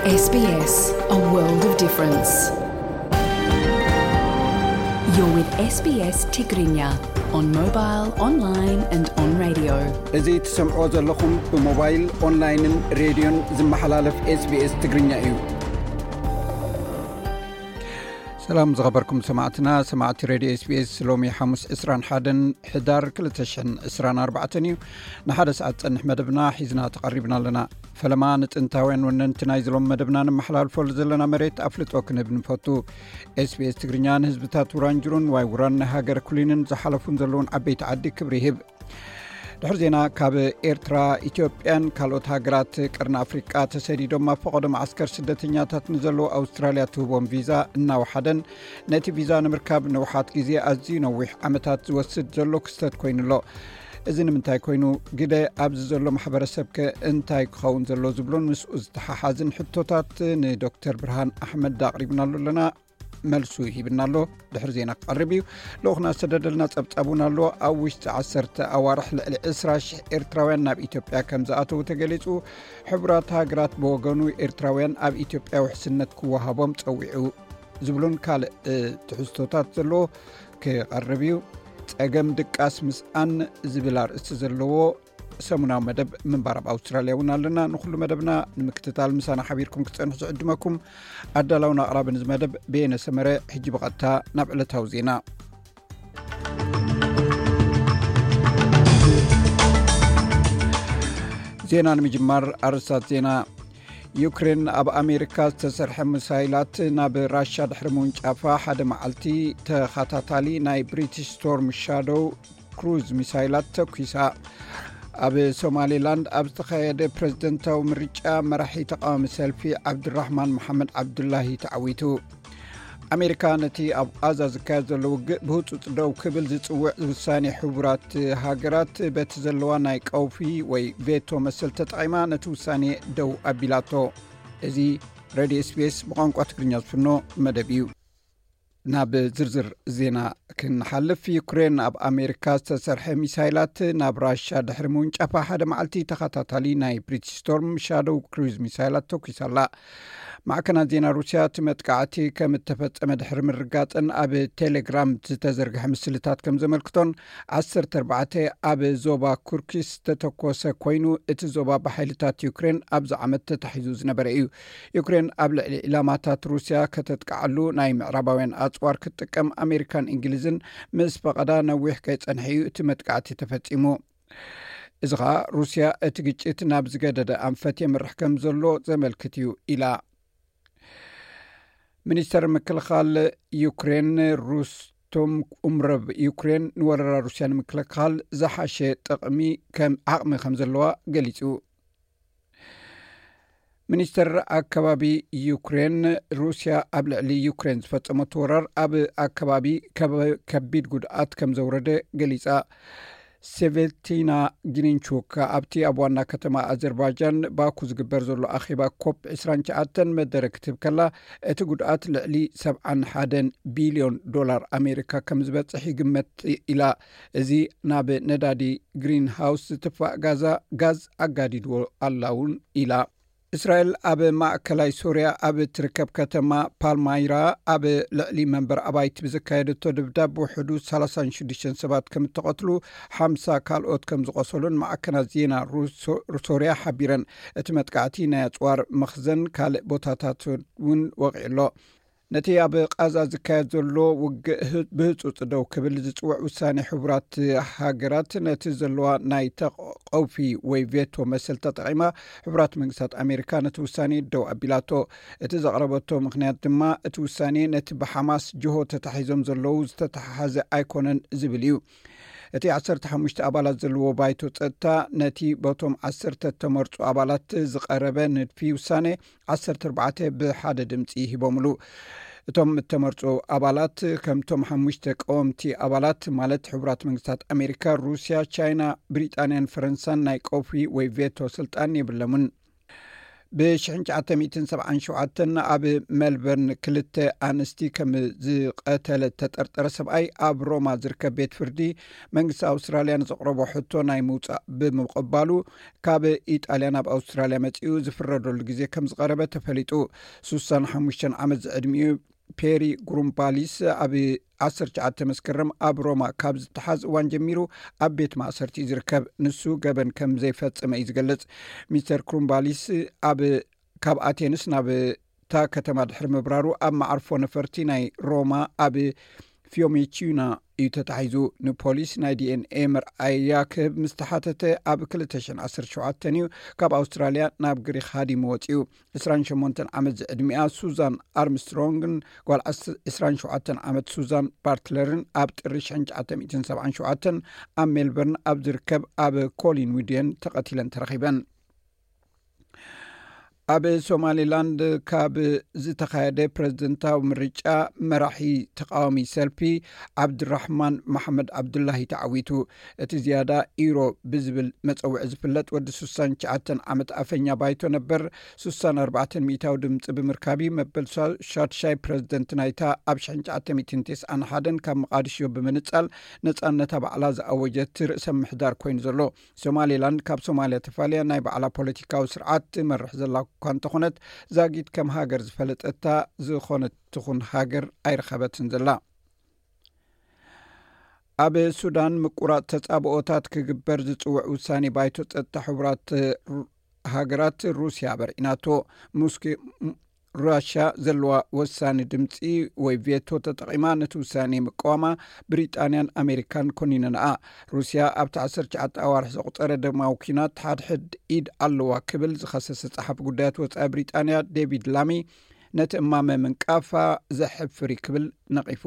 S B S, a world of difference. You're with S B S Tigrinya on mobile, online and on radio. እዚ ትሰምዕዎ ዘለኹም ብሞባይል፣ ኦንላይንን ሬድዮን ዝመሓላለፍ S B S ትግርኛ እዩ። ሰላም ዝኸበርኩም ሰማዕትና፣ ሰማዕቲ ሬድዮ S B S፣ ሎሚ ሓሙስ ዕስራን ሓደን ሕዳር ክልተ ሽሕን ዕስራን ኣርባዕተን እዩ። ንሓደ ሰዓት ጸንሕ መደብና ሒዝና ተቐሪብና ኣለና። ፈለማ ንጥንታውያን ወነንቲ ናይ ዝሎም መደብና ንመሓላልፈሉ ዘለና መሬት ኣፍልጦ ክንህብ ንፈቱ። S B S ትግርኛ ንህዝብታት ውራንጅሩን ዋይ ውራን ናይ ሃገር ኩሊንን ዝሓለፉን ዘለውን ዓበይቲ ዓዲ ክብሪ ይህብ። ድሕሪ ዜና፣ ካብ ኤርትራ፣ ኢትዮጵያን ካልኦት ሃገራት ቀርኒ ኣፍሪቃ ተሰዲዶም ኣብ ፈቐዶ መዓስከር ስደተኛታት ንዘለዉ ኣውስትራልያ ትህቦም ቪዛ እናወሓደን ነቲ ቪዛ ንምርካብ ንውሓት ግዜ ኣዝዩ ነዊሕ ዓመታት ዝወስድ ዘሎ ክስተት ኮይኑ ኣሎ። እዚ ንምንታይ ኮይኑ፣ ግደ ኣብዚ ዘሎ ማሕበረሰብ ከ እንታይ ክኸውን ዘሎ ዝብሉን ምስኡ ዝተሓሓዝን ሕቶታት ንዶክተር ብርሃን ኣሕመድ ኣቕሪብናሉ ኣለና። መልሱ ሂብና ኣሎ። ድሕሪ ዜና ክቐርብ እዩ። ልኡኽና ዝተደደልና ጸብጻብ እውን ኣሎ። ኣብ ውሽጢ ዓሰርተ ኣዋርሕ ልዕሊ ዕስራ ሽሕ ኤርትራውያን ናብ ኢትዮጵያ ከም ዝኣተዉ ተገሊጹ። ሕቡራት ሃገራት ብወገኑ ኤርትራውያን ኣብ ኢትዮጵያ ውሕስነት ክወሃቦም ጸዊዑ ዝብሉን ካልእ፣ እ፣ ትሕዝቶታት ዘለዎ ክቐርብ እዩ። ጸገም ድቃስ ምስኣን ዝብል ኣርእስቲ ዘለዎ ሰሙናዊ መደብ ምንባር ኣብ ኣውስትራልያ እውን ኣለና። ንኹሉ መደብና ንምክትታል ምሳና ሓቢርኩም ክትጸንሑ ዝዕድመኩም ኣዳላውን ኣቕራብን እዚ መደብ በየነ ሰመረ። ሕጂ ብቐጥታ ናብ ዕለታዊ ዜና። ዜና ንምጅማር ኣርእስታት ዜና። ዩክሬን ኣብ ኣሜሪካ ዝተሰርሐ ሚሳይላት ናብ ራሻ ድሕሪ ምውንጫፋ ሓደ መዓልቲ ተኸታታሊ ናይ ብሪቲሽ ስቶርም ሻዶው ክሩዝ ሚሳይላት ተኲሳ። ኣብ ሶማሌላንድ ኣብ ዝተኻየደ ፕሬዝደንታዊ ምርጫ መራሒ ተቃዋሚ ሰልፊ ዓብድራህማን መሓመድ ዓብዱላሂ ተዓዊቱ። ኣሜሪካ ነቲ ኣብ ቃዛ ዝካየድ ዘሎ ውግእ ብህጹጽ ደው ክብል ዝጽውዕ ውሳኔ ሕቡራት ሃገራት በቲ ዘለዋ ናይ ቀውፊ ወይ ቬቶ መሰል ተጠቒማ ነቲ ውሳኔ ደው ኣቢላቶ። እዚ ሬድዮ S B S ብቋንቋ ትግርኛ ዝፍኖ መደብ እዩ። ናብ ዝርዝር ዜና ክንሓልፍ፣ ዩክሬን ኣብ ኣሜሪካ ዝተሰርሐ ሚሳይላት ናብ ራሻ ድሕሪ ምውንጫፋ ሓደ መዓልቲ ተኸታታሊ ናይ ብሪቲሽ ስቶርም ሻዶው ክሩዝ ሚሳይላት ተኲሳ ኣላ። ማዕከናት ዜና ሩስያ እቲ መጥቃዕቲ ከም እተፈጸመ ድሕሪ ምርጋጸን ኣብ ቴሌግራም ዝተዘርግሐ ምስልታት ከም ዘመልክቶን፣ ዓሰርተ ኣርባዕተ ኣብ ዞባ ኩርኪስ ዝተተኮሰ ኮይኑ፣ እቲ ዞባ ብሓይልታት ዩክሬን ኣብዚ ዓመት ተታሒዙ ዝነበረ እዩ። ዩክሬን ኣብ ልዕሊ ዒላማታት ሩስያ ከተጥቅዓሉ ናይ ምዕራባውያን ኣጽዋር ክትጥቀም ኣሜሪካን እንግሊዝን ምስ ፈቐዳ ነዊሕ ከይጸንሐ እዩ እቲ መጥቃዕቲ ተፈጺሙ። እዚ ኸኣ ሩስያ እቲ ግጭት ናብ ዝገደደ ኣንፈት የምርሕ ከም ዘሎ ዘመልክት እዩ ኢላ። ሚኒስተር ምክልኻል ዩክሬን ሩስቶም ኡምረቭ፣ ዩክሬን ንወረራ ሩስያ ንምክልኻል ዝሓሸ ጥቕሚ ከም ዓቕሚ ከም ዘለዋ ገሊጹ። ሚኒስተር ኣከባቢ ዩክሬን፣ ሩስያ ኣብ ልዕሊ ዩክሬን ዝፈጸመቶ ወራር ኣብ ኣከባቢ ከበ-፣ ከቢድ ጉድኣት ከም ዘውረደ ገሊጻ። ሴቬቲና ግሪንቹክ ኣብቲ ኣብ ዋና ከተማ ኣዘርባይጃን ባኩ ዝግበር ዘሎ ኣኼባ ኮፕ ዕስራን ትሽዓተን መደረ ክትህብ ከላ፣ እቲ ጉድኣት ልዕሊ ሰብዓን ሓደን ቢልዮን ዶላር ኣሜሪካ ከም ዝበጽሕ ይግመት ኢላ። እዚ ናብ ነዳዲ ግሪንሃውስ ዝትፋእ ጋዛ፣ ጋዝ ኣጋዲድዎ ኣላ እውን ኢላ። እስራኤል ኣብ ማእከላይ ሶርያ ኣብ እትርከብ ከተማ ፓልማይራ ኣብ ልዕሊ መንበር ኣባይቲ ብዘካየደቶ ድብዳብ ውሕዱ ሰላሳን ሽዱሽተን ሰባት ከም እተቐትሉ፣ ሓምሳ ካልኦት ከም ዝቖሰሉን ማዕከናት ዜና ሩሶ-፣ ሶርያ ሓቢረን። እቲ መጥቃዕቲ ናይ ኣጽዋር መኽዘን ካልእ ቦታታት እውን ወቒዑ ኣሎ። ነቲ ኣብ ቃዛ ዝካየድ ዘሎ ውግእ ህ-፣ ብህጹጽ ደው ክብል ዝጽውዕ ውሳኔ ሕቡራት ሃገራት፣ ነቲ ዘለዋ ናይ ተቐውፊ ወይ ቬቶ መሰል ተጠቒማ፣ ሕቡራት መንግስታት ኣሜሪካ ነቲ ውሳኔ ደው ኣቢላቶ። እቲ ዘቕረበቶ ምኽንያት ድማ፣ እቲ ውሳኔ ነቲ ብሓማስ ጅሆ ተታሒዞም ዘለዉ ዝተተሓሓዘ ኣይኮነን ዝብል እዩ። እቲ ዓሰርተ ሓሙሽተ ኣባላት ዘለዎ ባይቶ ጸጥታ፣ ነቲ በቶም ዓሰርተ እተመርጹ ኣባላት ዝቐረበ ንድፊ ውሳኔ፣ ዓሰርተ ኣርባዕተ ብሓደ ድምጺ ሂቦምሉ። እቶም እተመርጹ ኣባላት፣ ከምቶም ሓሙሽተ ቀወምቲ ኣባላት፣ ማለት ሕቡራት መንግስታት ኣሜሪካ፣ ሩስያ፣ ቻይና፣ ብሪጣንያን ፈረንሳን፣ ናይ ቀውፊ ወይ ቬቶ ስልጣን የብለሙን። ብ1977 ኣብ ሜልበርን ክልተ ኣንስቲ ከም ዝቐተለ ተጠርጠረ ሰብኣይ ኣብ ሮማ ዝርከብ ቤት ፍርዲ መንግስቲ ኣውስትራልያ ንዘቕረቦ ሕቶ ናይ ምውፃእ ብምቕባሉ ካብ ኢጣልያ ናብ ኣውስትራልያ መፂኡ ዝፍረደሉ ግዜ ከም ዝቐረበ ተፈሊጡ። ሱሳን ሓሙሽተ ዓመት ዝዕድሚኡ ፔሪ ግሩምባሊስ ኣብ 19 መስከረም ኣብ ሮማ ካብ ዝተሓዝ እዋን ጀሚሩ ኣብ ቤት ማእሰርቲ እዩ ዝርከብ። ንሱ ገበን ከም ዘይፈጸመ እዩ ዝገልጽ። ሚስተር ክሩምባሊስ ኣብ ካብ ኣቴንስ ናብ እታ ከተማ ድሕሪ ምብራሩ ኣብ መዓርፎ ነፈርቲ ናይ ሮማ ኣብ ፊዮሜቺና እዩ ተታሒዙ። ንፖሊስ ናይ ዲኤንኤ መርኣያ ክህብ ምስ ተሓተተ ኣብ 2017 እዩ ካብ ኣውስትራልያ ናብ ግሪክ ሃዲሙ ወፂኡ። 28 ዓመት ዝዕድሚኣ ሱዛን ኣርምስትሮንግን ጓል 27 ዓመት ሱዛን ባርትለርን ኣብ ጥሪ 1977 ኣብ ሜልበርን ኣብ ዝርከብ ኣብ ኮሊን ዊድየን ተቐቲለን ተረኺበን። ኣብ ሶማሊላንድ ካብ ዝተኻየደ ፕሬዝደንታዊ ምርጫ መራሒ ተቃዋሚ ሰልፊ ዓብድራሕማን መሓመድ ዓብዱላሂ ተዓዊቱ። እቲ ዝያዳ ኢሮ ብዝብል መጸውዒ ዝፍለጥ ወዲ 69 ዓመት ኣፈኛ ባይቶ ነበር 64 ሚእታዊ ድምፂ ብምርካቢ መበል ሻድሻይ ፕሬዝደንት ናይታ ኣብ 1991 ካብ መቃድሾ ብምንጻል ነጻነታ ባዕላ ዝኣወጀት ርእሰ ምሕዳር ኮይኑ ዘሎ። ሶማሌላንድ ካብ ሶማልያ ተፋልያ ናይ ባዕላ ፖለቲካዊ ስርዓት ትመርሕ ዘላ እኳ እንተኾነት፣ ዛጊት ከም ሃገር ዝፈለጠታ ዝኾነት ትኹን ሃገር ኣይረኸበትን ዘላ። ኣብ ሱዳን ምቁራጽ ተጻብኦታት ክግበር ዝጽውዕ ውሳኔ ባይቶ ጸጥታ ሕቡራት ሃገራት ሩስያ በርዒናቶ። ሙስኪ ራሽያ ዘለዋ ወሳኒ ድምፂ ወይ ቬቶ ተጠቒማ ነቲ ውሳኔ ምቅዋማ ብሪጣንያን ኣሜሪካን ኮኒነንኣ። ሩስያ ኣብቲ 19 ኣዋርሕ ዘቑፀረ ደማዊ ኲናት ሓድሕድ ኢድ ኣለዋ ክብል ዝኸሰሰ ጸሓፊ ጉዳያት ወፃኢ ብሪጣንያ ዴቪድ ላሚ ነቲ እማመ ምንቃፋ ዘሕፍር እዩ ክብል ነቒፉ።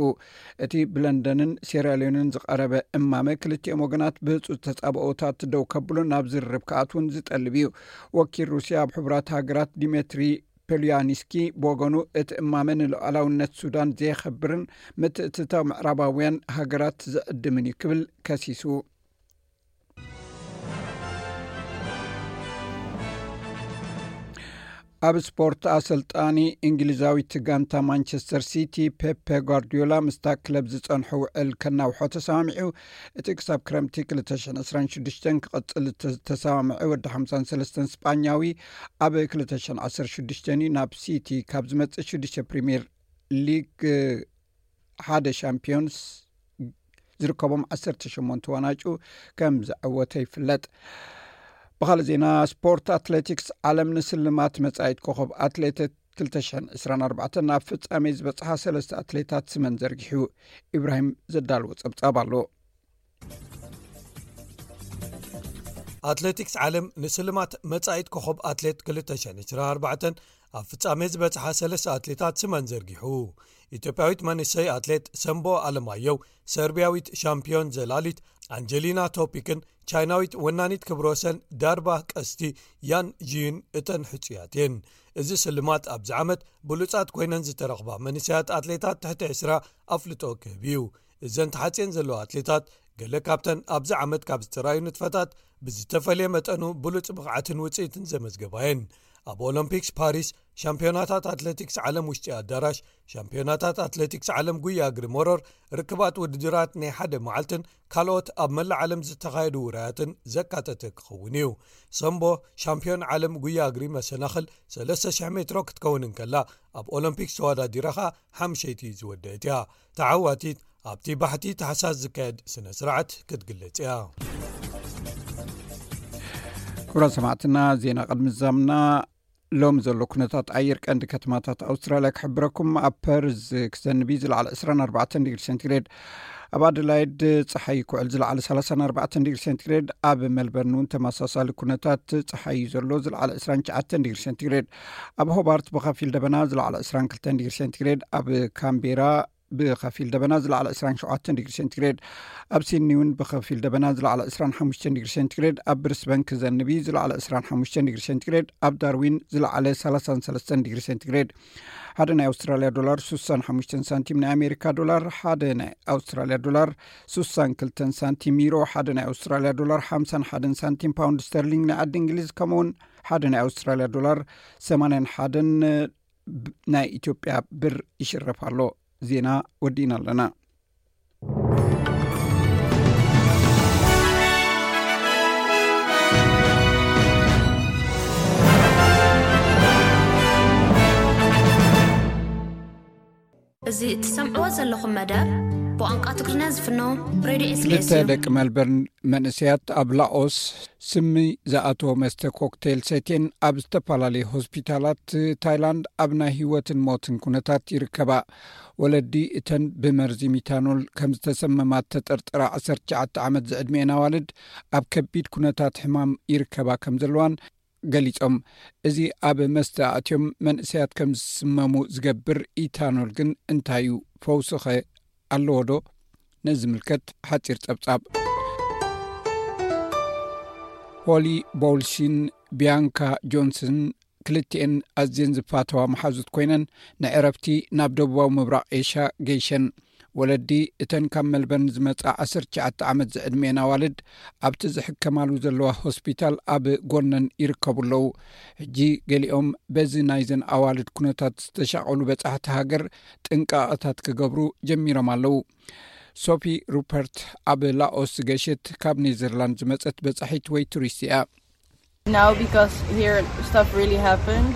እቲ ብለንደንን ሴራሊዮንን ዝቐረበ እማመ ክልቲኦም ወገናት ብህፁፅ ተጻብኦታት ደው ከብሉ ናብ ዝርርብ ክኣትውን ዝጠልብ እዩ። ወኪል ሩስያ ኣብ ሕቡራት ሃገራት ዲሜትሪ ፔሉያኒስኪ ብወገኑ እቲ እማመ ንሉዓላውነት ሱዳን ዘየኸብርን ምትእትታው ምዕራባውያን ሃገራት ዝዕድምን እዩ ክብል ከሲሱ። ኣብ ስፖርት ኣሰልጣኒ እንግሊዛዊት ጋንታ ማንቸስተር ሲቲ ፔፔ ጓርዲዮላ ምስታ ክለብ ዝጸንሑ ውዕል ከናውሖ ተሰማሚዑ። እቲ ክሳብ ክረምቲ 2026 ክቐጽል ዝተሰማምዐ ወዲ 53 ስጳኛዊ ኣብ 2016 እዩ ናብ ሲቲ ካብ ዝመጽእ ሽዱሽተ ፕሪምየር ሊግ ሓደ ሻምፒዮንስ ዝርከቦም 18 ዋናጩ ከም ዘዐወተ ይፍለጥ። ብኻልእ ዜና ስፖርት ኣትሌቲክስ ዓለም ንስልማት መጻኢት ኮኸብ ኣትሌታት 2024 ናብ ፍጻሜ ዝበጽሓ ሰለስተ ኣትሌታት ስመን ዘርጊሑ። ኢብራሂም ዘዳልዎ ጸብጻብ ኣሎ። ኣትሌቲክስ ዓለም ንስልማት መጻኢት ኮኸብ ኣትሌት 2024 ኣብ ፍጻሜ ዝበጽሓ ሰለስተ ኣትሌታት ስመን ዘርጊሑ። ኢትዮጵያዊት መንእሰይ ኣትሌት ሰምቦ ኣለማየው፣ ሰርቢያዊት ሻምፒዮን ዘላሊት ኣንጀሊና ቶፒክን ቻይናዊት ወናኒት ክብረ ወሰን ዳርባ ቀስቲ ያን ጂን እተን ሕጹያት እየን። እዚ ስልማት ኣብዚ ዓመት ብሉጻት ኮይነን ዝተረኽባ መንእሰያት ኣትሌታት ትሕቲ 20 ኣፍልጦ ክህብ እዩ። እዘን ተሓጽየን ዘለዋ ኣትሌታት ገለ ካብተን ኣብዚ ዓመት ካብ ዝተራእዩ ንጥፈታት ብዝተፈልየ መጠኑ ብሉጽ ብቕዓትን ውጽኢትን ዘመዝገባ እየን። ኣብ ኦሎምፒክስ ፓሪስ ሻምፒዮናታት ኣትሌቲክስ ዓለም ውሽጢ ኣዳራሽ፣ ሻምፒዮናታት ኣትሌቲክስ ዓለም ጉያ እግሪ መሮር፣ ርክባት ውድድራት ናይ ሓደ መዓልትን ካልኦት ኣብ መላእ ዓለም ዝተኻየዱ ውራያትን ዘካተተ ክኸውን እዩ። ሰምቦ ሻምፒዮን ዓለም ጉያ እግሪ መሰናኽል 3,000 ሜትሮ ክትከውን እንከላ፣ ኣብ ኦሎምፒክስ ተወዳዲራ ኸኣ ሓምሸይቲ ዝወደአት እያ። ተዓዋቲት ኣብቲ ባሕቲ ታሕሳስ ዝካየድ ስነ ስርዓት ክትግለጽ እያ። ክቡራት ሰማዕትና፣ ዜና ቅድሚ ዛምና ሎም ዘሎ ኩነታት ኣየር ቀንዲ ከተማታት ኣውስትራልያ ክሕብረኩም። ኣብ ፐርዝ ክዘንብ እዩ፣ ዝለዓለ 24 ዲግሪ ሴንቲግሬድ። ኣብ ኣደላይድ ጸሓይ ክውዕል፣ ዝለዓለ 34 ዲግሪ ሴንቲግሬድ። ኣብ ሜልበርን እውን ተመሳሳሊ ኩነታት ጸሓይ እዩ ዘሎ፣ ዝለዓለ 29 ዲግሪ ሴንቲግሬድ። ኣብ ሆባርት ብኸፊል ደበና፣ ዝለዓለ 22 ዲግሪ ሴንቲግሬድ። ኣብ ካምቤራ ብኸፊል ደበና ዝለዓለ ዕስራን ሸውዓተን ዲግሪ ሴንቲግሬድ፣ ኣብ ሲድኒ እውን ብኸፊል ደበና ዝለዓለ ዕስራን ሓሙሽተን ዲግሪ ሴንቲግሬድ፣ ኣብ ብሪስበን ክዘንብ እዩ ዝለዓለ ዕስራን ሓሙሽተን ዲግሪ ሴንቲግሬድ፣ ኣብ ዳርዊን ዝለዓለ ሰላሳን ሰለስተን ዲግሪ ሴንቲግሬድ። ሓደ ናይ ኣውስትራልያ ዶላር ሱሳን ሓሙሽተን ሳንቲም፣ ናይ ኣሜሪካ ዶላር ሓደ ናይ ኣውስትራልያ ዶላር ሱሳን ክልተን ሳንቲም፣ ዩሮ ሓደ ናይ ኣውስትራልያ ዶላር ሓምሳን ሓደን ሳንቲም፣ ፓውንድ ስተርሊንግ ናይ ዓዲ እንግሊዝ ከምኡውን ሓደ ናይ ኣውስትራልያ ዶላር ሰማንያን ሓደን ናይ ኢትዮጵያ ብር ይሽረፍ ኣሎ። ዜና ወዲእና ኣለና። እዚ እትሰምዕዎ ዘለኹም መደብ ብቋንቋ ትግርኛ ዝፍኖ ሬድዮ ክልተ ኤስቢኤስ እዩ። ደቂ መልበርን መንእሰያት ኣብ ላኦስ ስሚ ዝኣተወ መስተ ኮክቴል ሰትየን ኣብ ዝተፈላለዩ ሆስፒታላት ታይላንድ ኣብ ናይ ህይወትን ሞትን ኩነታት ይርከባ። ወለዲ እተን ብመርዚ ሚታኖል ከም ዝተሰመማት ተጠርጠራ ዓሰርተ ትሽዓተ ዓመት ዝዕድሚኤን ኣዋልድ ኣብ ከቢድ ኩነታት ሕማም ይርከባ ከም ዘለዋን ገሊጾም። እዚ ኣብ መስተ ኣእትዮም መንእሰያት ከም ዝስመሙ ዝገብር ኢታኖል ግን እንታይ እዩ? ፈውስኸ ኣለዎ ዶ? ነዚ ዝምልከት ሓጺር ጸብጻብ። ሆሊ ቦውልሲን ቢያንካ ጆንስን ክልቲኤን ኣዝየን ዝፋተዋ መሓዙት ኮይነን ንዕረፍቲ ናብ ደቡባዊ ምብራቕ ኤሽያ ገይሸን። ወለዲ እተን ካብ መልበርን ዝመጻ ዓሰርተ ትሽዓተ ዓመት ዝዕድሜን ኣዋልድ ኣብቲ ዝሕከማሉ ዘለዋ ሆስፒታል ኣብ ጎነን ይርከቡ ኣለዉ። ሕጂ ገሊኦም በዚ ናይዘን ኣዋልድ ኩነታት ዝተሻቐሉ በጻሕቲ ሃገር ጥንቃቐታት ክገብሩ ጀሚሮም ኣለዉ። ሶፊ ሩፐርት ኣብ ላኦስ ዝገሸት ካብ ኔዘርላንድ ዝመጸት በጻሒት ወይ ቱሪስት እያ። Now, because here stuff really happened,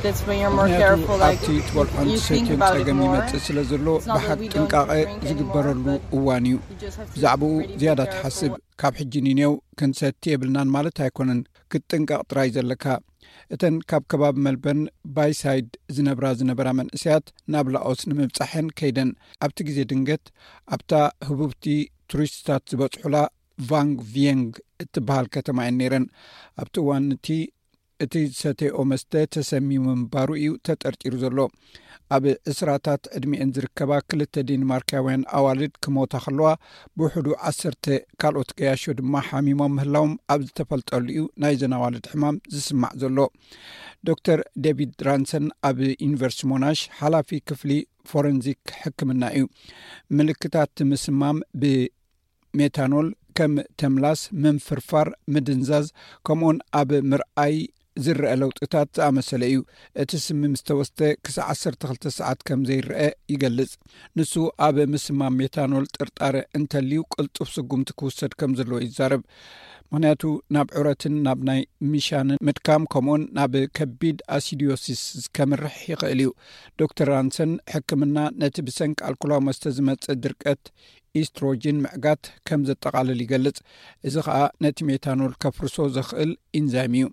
that's when you're more ምክንያቱ careful. Like, ኣብቲ ትበልዖን you think ትሰትዮን about it ጸገም more. ይመጽእ ስለ ዘሎ It's not that ብሓቂ we don't ጥንቃቐ drink anymore, ዝግበረሉ but እዋን እዩ። you just have to ብዛዕባኡ really be ዝያዳ careful. ትሓስብ። ካብ ሕጂ ንኔው ክንሰቲ የብልናን ማለት ኣይኮነን። ክትጥንቀቕ ጥራይ ዘለካ። እተን ካብ ከባቢ መልበርን ባይሳይድ ዝነብራ ዝነበራ መንእሰያት ናብ ላኦስ ንምብጻሐን ከይደን ኣብቲ ግዜ ድንገት ኣብታ ህቡብቲ ቱሪስትታት ዝበጽሑላ ቫንግ ቪየንግ እትበሃል ከተማ እየን ነይረን። ኣብቲ እዋን እቲ እቲ ዝሰተይኦ መስተ ተሰሚሙ ምንባሩ እዩ ተጠርጢሩ ዘሎ። ኣብ ዕስራታት ዕድሚኤን ዝርከባ ክልተ ዴንማርካውያን ኣዋልድ ክሞታ ከለዋ ብውሕዱ ዓሰርተ ካልኦት ገያሾ ድማ ሓሚሞም ምህላዎም ኣብ ዝተፈልጠሉ እዩ ናይዘን ኣዋልድ ሕማም ዝስማዕ ዘሎ። ዶክተር ዴቪድ ራንሰን ኣብ ዩኒቨርሲቲ ሞናሽ ሓላፊ ክፍሊ ፎረንዚክ ሕክምና እዩ። ምልክታት ምስማም ብ ሜታኖል ከም ተምላስ፣ ምንፍርፋር፣ ምድንዛዝ ከምኡውን ኣብ ምርኣይ ዝረአ ለውጥታት ዝኣመሰለ እዩ። እቲ ስሚ ምስ ተወስደ ክሳዕ ዓሰርተ ክልተ ሰዓት ከም ዘይረአ ይገልጽ። ንሱ ኣብ ምስማም ሜታኖል ጥርጣረ እንተልዩ ቅልጡፍ ስጉምቲ ክውሰድ ከም ዘለዎ ይዛረብ። ምክንያቱ ናብ ዑረትን ናብ ናይ ምሻንን ምድካም ከምኡውን ናብ ከቢድ ኣሲዲዮሲስ ከምርሕ ይኽእል እዩ። ዶክተር ራንሰን ሕክምና ነቲ ብሰንኪ ኣልኮላዊ መስተ ዝመጽእ ድርቀት ኢስትሮጂን ምዕጋት ከም ዘጠቓልል ይገልጽ። እዚ ኸኣ ነቲ ሜታኖል ከፍርሶ ዘኽእል ኢንዛይም እዩ።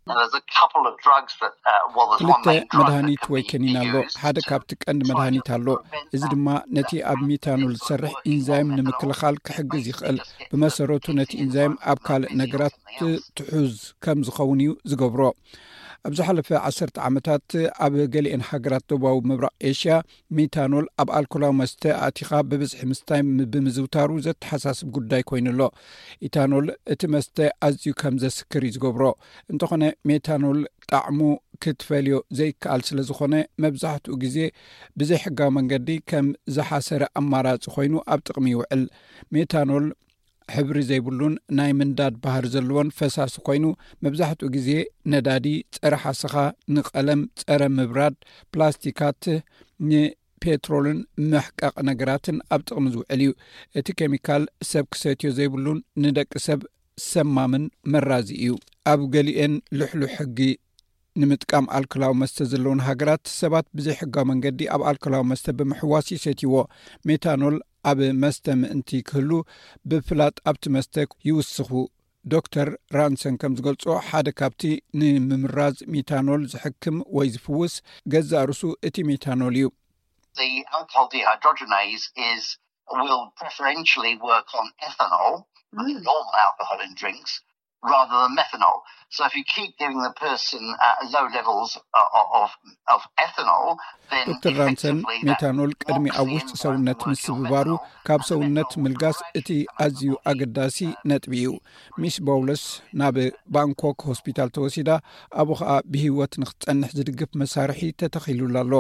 Now, there's a couple of drugs that, uh, well, there's one ክልተ main drug that መድሃኒት can ወይ be ከኒን ኣሎ። used ሓደ to ካብቲ ቀንዲ try መድሃኒት to ኣሎ። prevent እዚ that. ድማ ነቲ ኣብ ሜታኖል ዝሰርሕ ኢንዛይም ንምክልኻል ክሕግዝ ይኽእል። ብመሰረቱ ነቲ ኢንዛይም ኣብ ካልእ ነገራት ትሑዝ ከም ዝኸውን እዩ ዝገብሮ። ኣብ ዝሓለፈ ዓሰርተ ዓመታት ኣብ ገሊኤን ሃገራት ደቡባዊ ምብራቕ ኤሽያ ሚታኖል ኣብ ኣልኮላዊ መስተ ኣቲኻ ብብዝሒ ምስታይ ም- ብምዝውታሩ ዘተሓሳስብ ጉዳይ ኮይኑ ኣሎ። ኢታኖል እቲ መስተ ኣዝዩ ከም ዘስክር እዩ ዝገብሮ። እንተኾነ ሜታኖል ጣዕሙ ክትፈልዮ ዘይከኣል ስለ ዝኾነ መብዛሕትኡ ግዜ ብዘይሕጋዊ መንገዲ ከም ዝሓሰረ ኣማራጺ ኮይኑ ኣብ ጥቕሚ ይውዕል። ሜታኖል ሕብሪ ዘይብሉን ናይ ምንዳድ ባህሪ ዘለዎን ፈሳሲ ኮይኑ መብዛሕትኡ ግዜ ነዳዲ፣ ጸረ ሓሰኻ፣ ንቐለም፣ ጸረ ምብራድ፣ ፕላስቲካት፣ ንፔትሮልን መሕቀቕ ነገራትን ኣብ ጥቕሚ ዝውዕል እዩ። እቲ ኬሚካል ሰብ ክሰትዮ ዘይብሉን ንደቂ ሰብ ሰማምን መራዚ እዩ። ኣብ ገሊኤን ልሕሉሕ ሕጊ ንምጥቃም ኣልኮላዊ መስተ ዘለውን ሃገራት ሰባት ብዘይሕጋዊ መንገዲ ኣብ ኣልኮላዊ መስተ ብምሕዋስ ይሰትይዎ። ሜታኖል ኣብ መስተ ምእንቲ ክህሉ ብፍላጥ ኣብቲ መስተ ይውስኹ። ዶክተር ራንሰን ከም ዝገልጾ ሓደ ካብቲ ንምምራዝ ሚታኖል ዝሕክም ወይ ዝፍውስ ገዛእ ርሱ እቲ ሚታኖል እዩ። The alcohol dehydrogenase is will preferentially work on ethanol, normal alcohol in drinks, rather than methanol. So if you keep giving the person uh, low levels uh, of, of ethanol, then ዶክተር ራንሰን፣ ሜታኖል ቅድሚ ኣብ ውሽጢ ሰውነት ምስብባሩ ካብ ሰውነት ምልጋስ እቲ ኣዝዩ ኣገዳሲ ነጥቢ እዩ። ሚስ ቦውለስ ናብ ባንኮክ ሆስፒታል ተወሲዳ፣ ኣብኡ ኸኣ ብህይወት ንክትጸንሕ ዝድግፍ መሳርሒ ተተኺሉላ ኣሎ።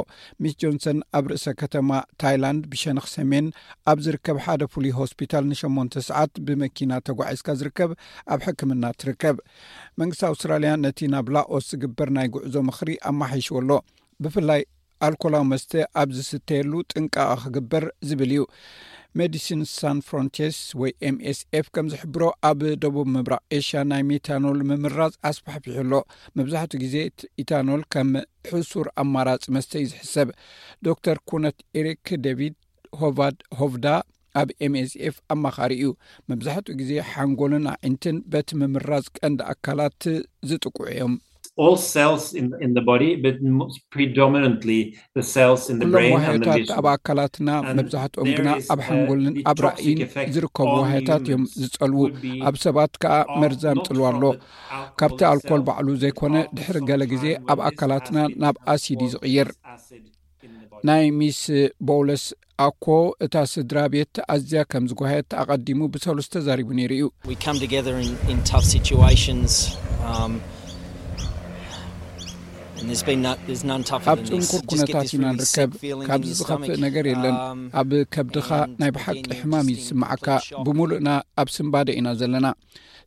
ሚስ ጆንሰን ኣብ ርእሰ ከተማ ታይላንድ ብሸነኽ ሰሜን ኣብ ዝርከብ ሓደ ፍሉይ ሆስፒታል ንሸሞንተ ሰዓት ብመኪና ተጓዒዝካ ዝርከብ ኣብ ሕክምና ትርከብ። መንግስቲ ኣውስትራልያ ነቲ ናብ ላኦስ ዝግበር ናይ ጉዕዞ ምኽሪ ኣማሓይሽዎ ኣሎ። ብፍላይ ኣልኮላዊ መስተ ኣብ ዝስተየሉ ጥንቃቐ ክግበር ዝብል እዩ። ሜዲሲን ሳን ፍሮንቲርስ ወይ ኤምኤስኤፍ ከም ዝሕብሮ፣ ኣብ ደቡብ ምብራቕ ኤሽያ ናይ ሜታኖል ምምራዝ ኣስፋሕፊሑ ኣሎ። መብዛሕትኡ ግዜ ኢታኖል ከም ሕሱር ኣማራጺ መስተ እዩ ዝሕሰብ። ዶክተር ኩነት ኤሪክ ዴቪድ ሆቫድ ሆቭዳ ኣብ ኤምኤስኤፍ ኣማኻሪ እዩ። መብዛሕትኡ ግዜ ሓንጎልን ኣዒንትን በቲ ምምራዝ ቀንዲ ኣካላት ዝጥቅዑ እዮም። All cells in, in the body, but predominantly the cells in the ኩሎም brain and the ዋህዮታት vision. ኣብ ኣካላትና፣ መብዛሕትኦም ግና ኣብ ሓንጎልን ኣብ ራእይን ዝርከቡ ዋህዮታት እዮም ዝጸልዉ። ኣብ ሰባት ከኣ መርዛም ጽልዋ ኣሎ። ካብቲ ኣልኮል ባዕሉ ዘይኮነ፣ ድሕሪ ገለ ግዜ ኣብ ኣካላትና ናብ ኣሲድ እዩ ዝቕየር። ናይ ሚስ ቦውለስ ኣኮ፣ እታ ስድራ ቤት ኣዝያ ከም ዝጓየት ኣቐዲሙ ብሰሉስ ተዛሪቡ ነይሩ እዩ። We come together in, in tough situations. Um, and there's been no, there's none tougher ኣብ than this. ጽንኩር You just get ኩነታት this ኢና really ንርከብ። sick feeling in ካብዚ your ዝኸፍእ stomach. ነገር የለን። Um, ኣብ ከብድኻ and ናይ ብሓቂ again, you're ሕማም just እዩ in ዝስምዓካ። complete shock. ብምሉእና ኣብ ስንባደ ኢና ዘለና።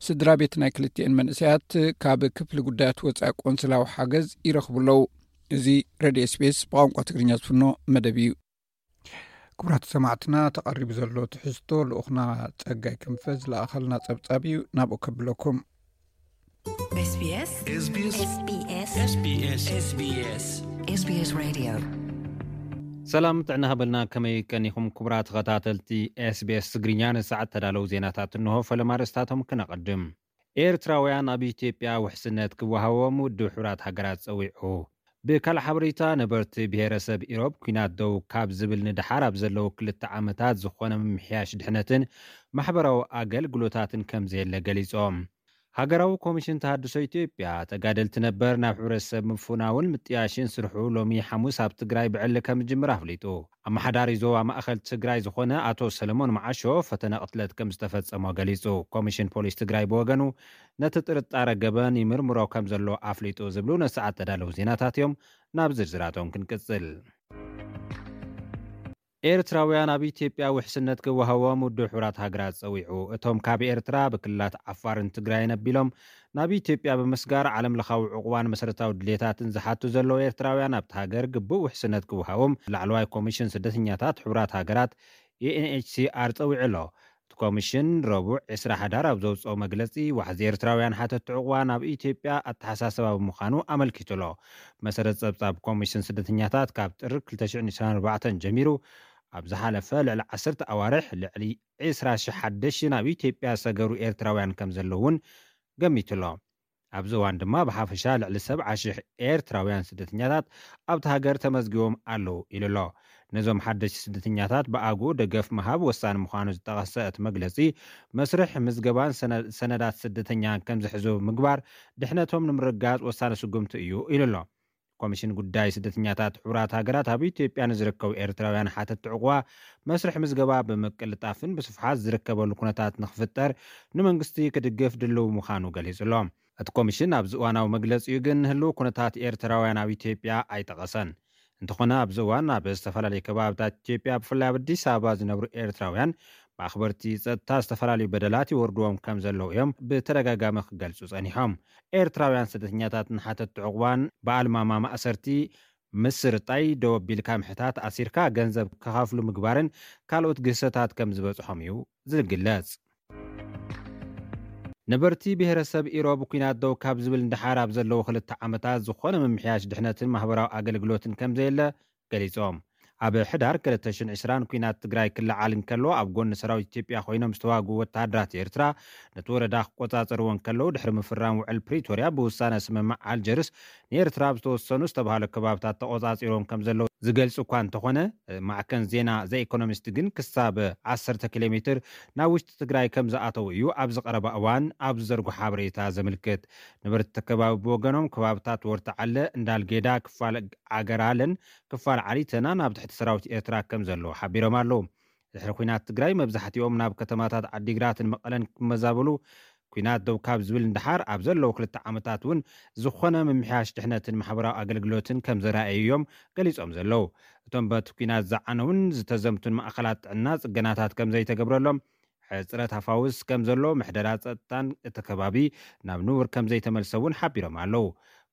ስድራ ቤት ናይ ክልቲኤን መንእሰያት ካብ ክፍሊ ጉዳያት ወፃኢ ቆንስላዊ ሓገዝ ይረኽቡ ኣለዉ። እዚ ሬድዮ ኤስቢኤስ ብቋንቋ ትግርኛ ዝፍኖ መደብ እዩ። ክቡራት ሰማዕትና፣ ተቐሪቡ ዘሎ ትሕዝቶ ልኡኽና ጸጋይ ክንፈ ዝለኣኸልና ጸብጻብ እዩ። ናብኡ ከብለኩም። SBS SBS SBS SBS SBS Radio. ሰላም ጥዕና ሃበልና። ከመይ ቀኒኹም ክቡራት ተኸታተልቲ ኤስቢኤስ ትግርኛ? ንሰዓት ተዳለዉ ዜናታት እንሆ። ፈለማ ርእስታቶም ክነቐድም። ኤርትራውያን ኣብ ኢትዮጵያ ውሕስነት ክወሃቦም ውድብ ሕቡራት ሃገራት ጸዊዑ። ብካልእ ሓበሬታ፣ ነበርቲ ብሄረሰብ ኢሮብ ኲናት ደው ካብ ዝብል ንደሓር ኣብ ዘለዉ ክልተ ዓመታት ዝኾነ ምምሕያሽ ድሕነትን ማሕበራዊ ኣገልግሎታትን ከም ዘየለ ገሊጾም። ሃገራዊ ኮሚሽን ተሃድሶ ኢትዮጵያ፣ ተጋደልቲ ነበር ናብ ሕብረተሰብ ምፍናውን ምጥያሽን ስርሑ ሎሚ ሓሙስ ኣብ ትግራይ ብዕሊ ከም ዝጅምር ኣፍሊጡ። ኣመሓዳሪ ዞባ ማእኸል ትግራይ ዝኾነ ኣቶ ሰለሞን መዓሾ፣ ፈተነ ቅትለት ከም ዝተፈጸሞ ገሊጹ። ኮሚሽን ፖሊስ ትግራይ ብወገኑ፣ ነቲ ጥርጣረ ገበን ይምርምሮ ከም ዘሎ ኣፍሊጡ ዝብሉ ነሰዓት ተዳለዉ ዜናታት እዮም። ናብ ዝርዝራቶም ክንቅጽል። ኤርትራውያን ኣብ ኢትዮጵያ ውሕስነት ክወሃቦም ውድብ ሕቡራት ሃገራት ጸዊዑ። እቶም ካብ ኤርትራ ብክልላት ዓፋርን ትግራይን ኣቢሎም ናብ ኢትዮጵያ ብምስጋር፣ ዓለም ለኻዊ ዕቑባን መሰረታዊ ድሌታትን ዝሓቱ ዘለዉ ኤርትራውያን ኣብቲ ሃገር ግቡእ ውሕስነት ክወሃቦም ላዕለዋይ ኮሚሽን ስደተኛታት ሕቡራት ሃገራት፣ ዩኤንኤችሲኣር፣ ጸዊዑ ኣሎ። እቲ ኮሚሽን ረቡዕ ዕስራ ሓዳር ኣብ ዘውጽኦ መግለጺ፣ ዋሕዚ ኤርትራውያን ሓተቲ ዕቑባ ናብ ኢትዮጵያ ኣተሓሳስባ ብምዃኑ ኣመልኪቱ ኣሎ። መሰረት ጸብጻብ ኮሚሽን ስደተኛታት፣ ካብ ጥሪ ክልተ ሽሕን ዕስራን ኣርባዕተን ጀሚሩ ኣብ ዝሓለፈ ልዕሊ ዓሰርተ ኣዋርሕ ልዕሊ ዕስራ ሽሕ ሓደሽ ናብ ኢትዮጵያ ዝሰገሩ ኤርትራውያን ከም ዘለዉ እውን ገሚቱ ኣሎ። ኣብዚ እዋን ድማ ብሓፈሻ ልዕሊ ሰብዓ ሽሕ ኤርትራውያን ስደተኛታት ኣብቲ ሃገር ተመዝጊቦም ኣለዉ ኢሉ ኣሎ። ነዞም ሓደሽቲ ስደተኛታት ብኣግኡ ደገፍ ምሃብ ወሳኒ ምዃኑ ዝጠቐሰ እቲ መግለጺ፣ መስርሕ ምዝገባን ሰነ-፣ ሰነዳት ስደተኛን ከም ዝሕዙ ምግባር ድሕነቶም ንምርጋጽ ወሳኒ ስጉምቲ እዩ ኢሉ ኣሎ። ኮሚሽን ጉዳይ ስደተኛታት ሕቡራት ሃገራት ኣብ ኢትዮጵያ ንዝርከቡ ኤርትራውያን ሓተቲ ዕቑባ መስርሕ ምዝገባ ብምቅልጣፍን ብስፍሓት ዝርከበሉ ኩነታት ንክፍጠር ንመንግስቲ ክድግፍ ድልው ምዃኑ ገሊጹ ኣሎ። እቲ ኮሚሽን ኣብዚ እዋናዊ መግለጺኡ ግን ህልው ኩነታት ኤርትራውያን ኣብ ኢትዮጵያ ኣይጠቐሰን። እንተኾነ ኣብዚ እዋን ኣብ ዝተፈላለዩ ከባብታት ኢትዮጵያ ብፍላይ ኣብ ኣዲስ ኣበባ ዝነብሩ ኤርትራውያን ብኣኽበርቲ ጸጥታ ዝተፈላለዩ በደላት ይወርድዎም ከም ዘለዉ እዮም ብተደጋጋሚ ክገልጹ ጸኒሖም። ኤርትራውያን ስደተኛታትን ሓተቲ ዕቑባን ብኣልማማ ማእሰርቲ፣ ምስርጣይ፣ ደው ኣቢልካ ምሕታት፣ ኣሲርካ ገንዘብ ክኸፍሉ ምግባርን ካልኦት ግህሰታት ከም ዝበጽሖም እዩ ዝግለጽ። ነበርቲ ብሄረሰብ ኢሮብ ኲናት ደው ካብ ዝብል ንደሓር ኣብ ዘለዉ ክልተ ዓመታት ዝኾነ ምምሕያሽ ድሕነትን ማህበራዊ ኣገልግሎትን ከም ዘየለ ገሊጾም። ኣብ ሕዳር ክልተ ሽሕን ዕስራን ኲናት ትግራይ ክለዓል እንከሎ፣ ኣብ ጎኒ ሰራዊት ኢትዮጵያ ኮይኖም ዝተዋግኡ ወተሃደራት ኤርትራ፣ ነቲ ወረዳ ክቆጻጸርዎ እንከለዉ፣ ድሕሪ ምፍራም ውዕል ፕሪቶርያ ብውሳነ ስምምዕ ኣልጀርስ፣ ንኤርትራ ኣብ ዝተወሰኑ ዝተባህሉ ከባብታት ተቆጻጺሮም ከም ዘለዉ ዝገልጽ እኳ እንተኾነ፣ ማዕከን ዜና ዘ ኢኮኖሚስት ግን ክሳብ ዓሰርተ ኪሎ ሜትር ናብ ውሽጢ ትግራይ ከም ዝኣተዉ እዩ ኣብዚ ቀረባ እዋን ኣብ ዝዘርጎ ሓበሬታ ዘምልክት። ነበርቲ ከባቢ ብወገኖም፣ ከባብታት ወርተዓለ፣ እንዳልጌዳ፣ ክፋል ዓገራለን ክፋል ዓሊተና ናብ ትሕቲ ሰራዊት ኤርትራ ከም ዘለዉ ሓቢሮም ኣለዉ። ድሕሪ ኲናት ትግራይ መብዛሕትኦም ናብ ከተማታት ዓዲግራትን መቐለን ክመዛበሉ፣ ኲናት ደው ካብ ዝብል ንደሓር ኣብ ዘለዉ ክልተ ዓመታት እውን ዝኾነ ምምሕያሽ ድሕነትን ማሕበራዊ ኣገልግሎትን ከም ዘረኣዩ እዮም ገሊጾም ዘለዉ። እቶም በቲ ኲናት ዝዓነውን ዝተዘምቱን ማእኸላት ጥዕና ጽገናታት ከም ዘይተገብረሎም፣ ሕጽረት ሃፋውስ ከም ዘሎ፣ ምሕደራ ጸጥታን እቲ ከባቢ ናብ ንቡር ከም ዘይተመልሰ እውን ሓቢሮም ኣለዉ።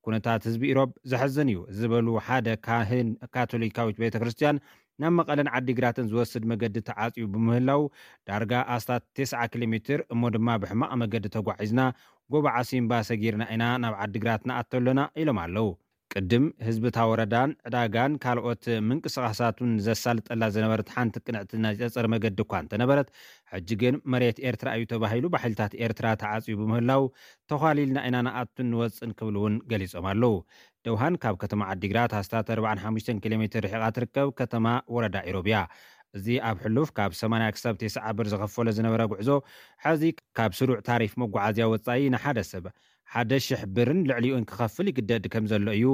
ኩነታት ህዝቢ ኢሮብ ዘሕዝን እዩ ዝበሉ ሓደ ካህን ካቶሊካዊት ቤተ ክርስቲያን፣ ናብ መቐለን ዓዲግራትን ዝወስድ መገዲ ተዓጽዩ ብምህላው፣ ዳርጋ ኣስታት ተስዓ ኪሎ ሜትር እሞ ድማ ብሕማቕ መገዲ ተጓዒዝና ጎቦ ዓሲምባ ሰጊርና ኢና ናብ ዓዲግራት ንኣቱ ኣለና ኢሎም ኣለዉ። ቅድም ህዝቢ እታ ወረዳን ዕዳጋን ካልኦት ምንቅስቓሳቱን ዘሳልጠላ ዝነበረት ሓንቲ ቅንዕቲ ናይ ጸጸር መገዲ እኳ እንተነበረት፣ ሕጂ ግን መሬት ኤርትራ እዩ ተባሂሉ ብሓይልታት ኤርትራ ተዓጽዩ ብምህላው፣ ተዃሊልና ኢና ንኣቱን ንወጽእን ክብሉ እውን ገሊጾም ኣለዉ። ደውሃን ካብ ከተማ ዓዲግራት ኣስታት ኣርባዓን ሓሙሽተን ኪሎ ሜትር ርሒቓ ትርከብ ከተማ ወረዳ ኢሮብ እያ። እዚ ኣብ ሕሉፍ ካብ ሰማንያ ክሳብ ተስዓ ብር ዝኸፈሎ ዝነበረ ጉዕዞ፣ ሕዚ ካብ ስሩዕ ታሪፍ መጓዓዝያ ወጻኢ ንሓደ ሰብ ሓደ ሽሕ ብርን ልዕሊኡን ክኸፍል ይግደድ ከም ዘሎ እዩ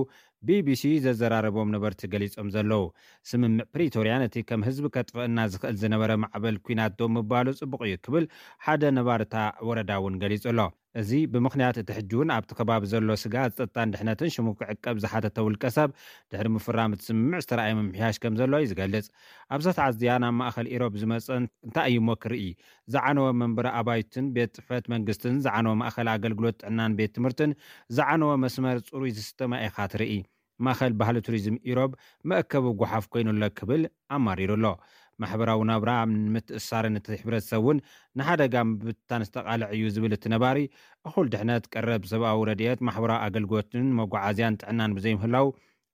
ቢቢሲ ዘዘራረቦም ነበርቲ ገሊጾም ዘለዉ። ስምምዕ ፕሪቶርያ ነቲ ከም ህዝቢ ከጥፍአና ዝኽእል ዝነበረ ማዕበል ኲናት ደው ምባሉ ጽቡቕ እዩ ክብል ሓደ ነባሪ እታ ወረዳ እውን ገሊጹ ኣሎ። እዚ ብምኽንያት እቲ ሕጂ እውን ኣብቲ ከባቢ ዘሎ ስግኣት ጸጥታን ድሕነትን ሽሙ ክዕቀብ ዝሓተተ ውልቀ ሰብ፣ ድሕሪ ምፍራም እቲ ስምምዕ ዝተረኣየ ምምሕያሽ ከም ዘሎ እዩ ዝገልጽ። ኣብዛ ተዓዝያ ናብ ማእኸል ኢሮብ ዝመጸ እንታይ እዩ እሞ ክርኢ? ዝዓነወ መንበሪ ኣባይትን ቤት ጽሕፈት መንግስትን፣ ዝዓነወ ማእኸል ኣገልግሎት ጥዕናን ቤት ትምህርትን፣ ዝዓነወ መስመር ጽሩይ ዝስተ ማይ ኢኻ ትርኢ። ማእኸል ባህሊ ቱሪዝም ኢሮብ መእከቢ ጓሓፍ ኮይኑ ኣሎ ክብል ኣማሪሩ ኣሎ። ማሕበራዊ ናብራ ንምትእሳርን እቲ ሕብረተሰብ እውን ንሓደጋ ምብታን ዝተቓልዕ እዩ ዝብል እቲ ነባሪ፣ እኹል ድሕነት፣ ቀረብ ሰብኣዊ ረድኤት፣ ማሕበራዊ ኣገልግሎትን መጓዓዝያን ጥዕናን ብዘይምህላው፣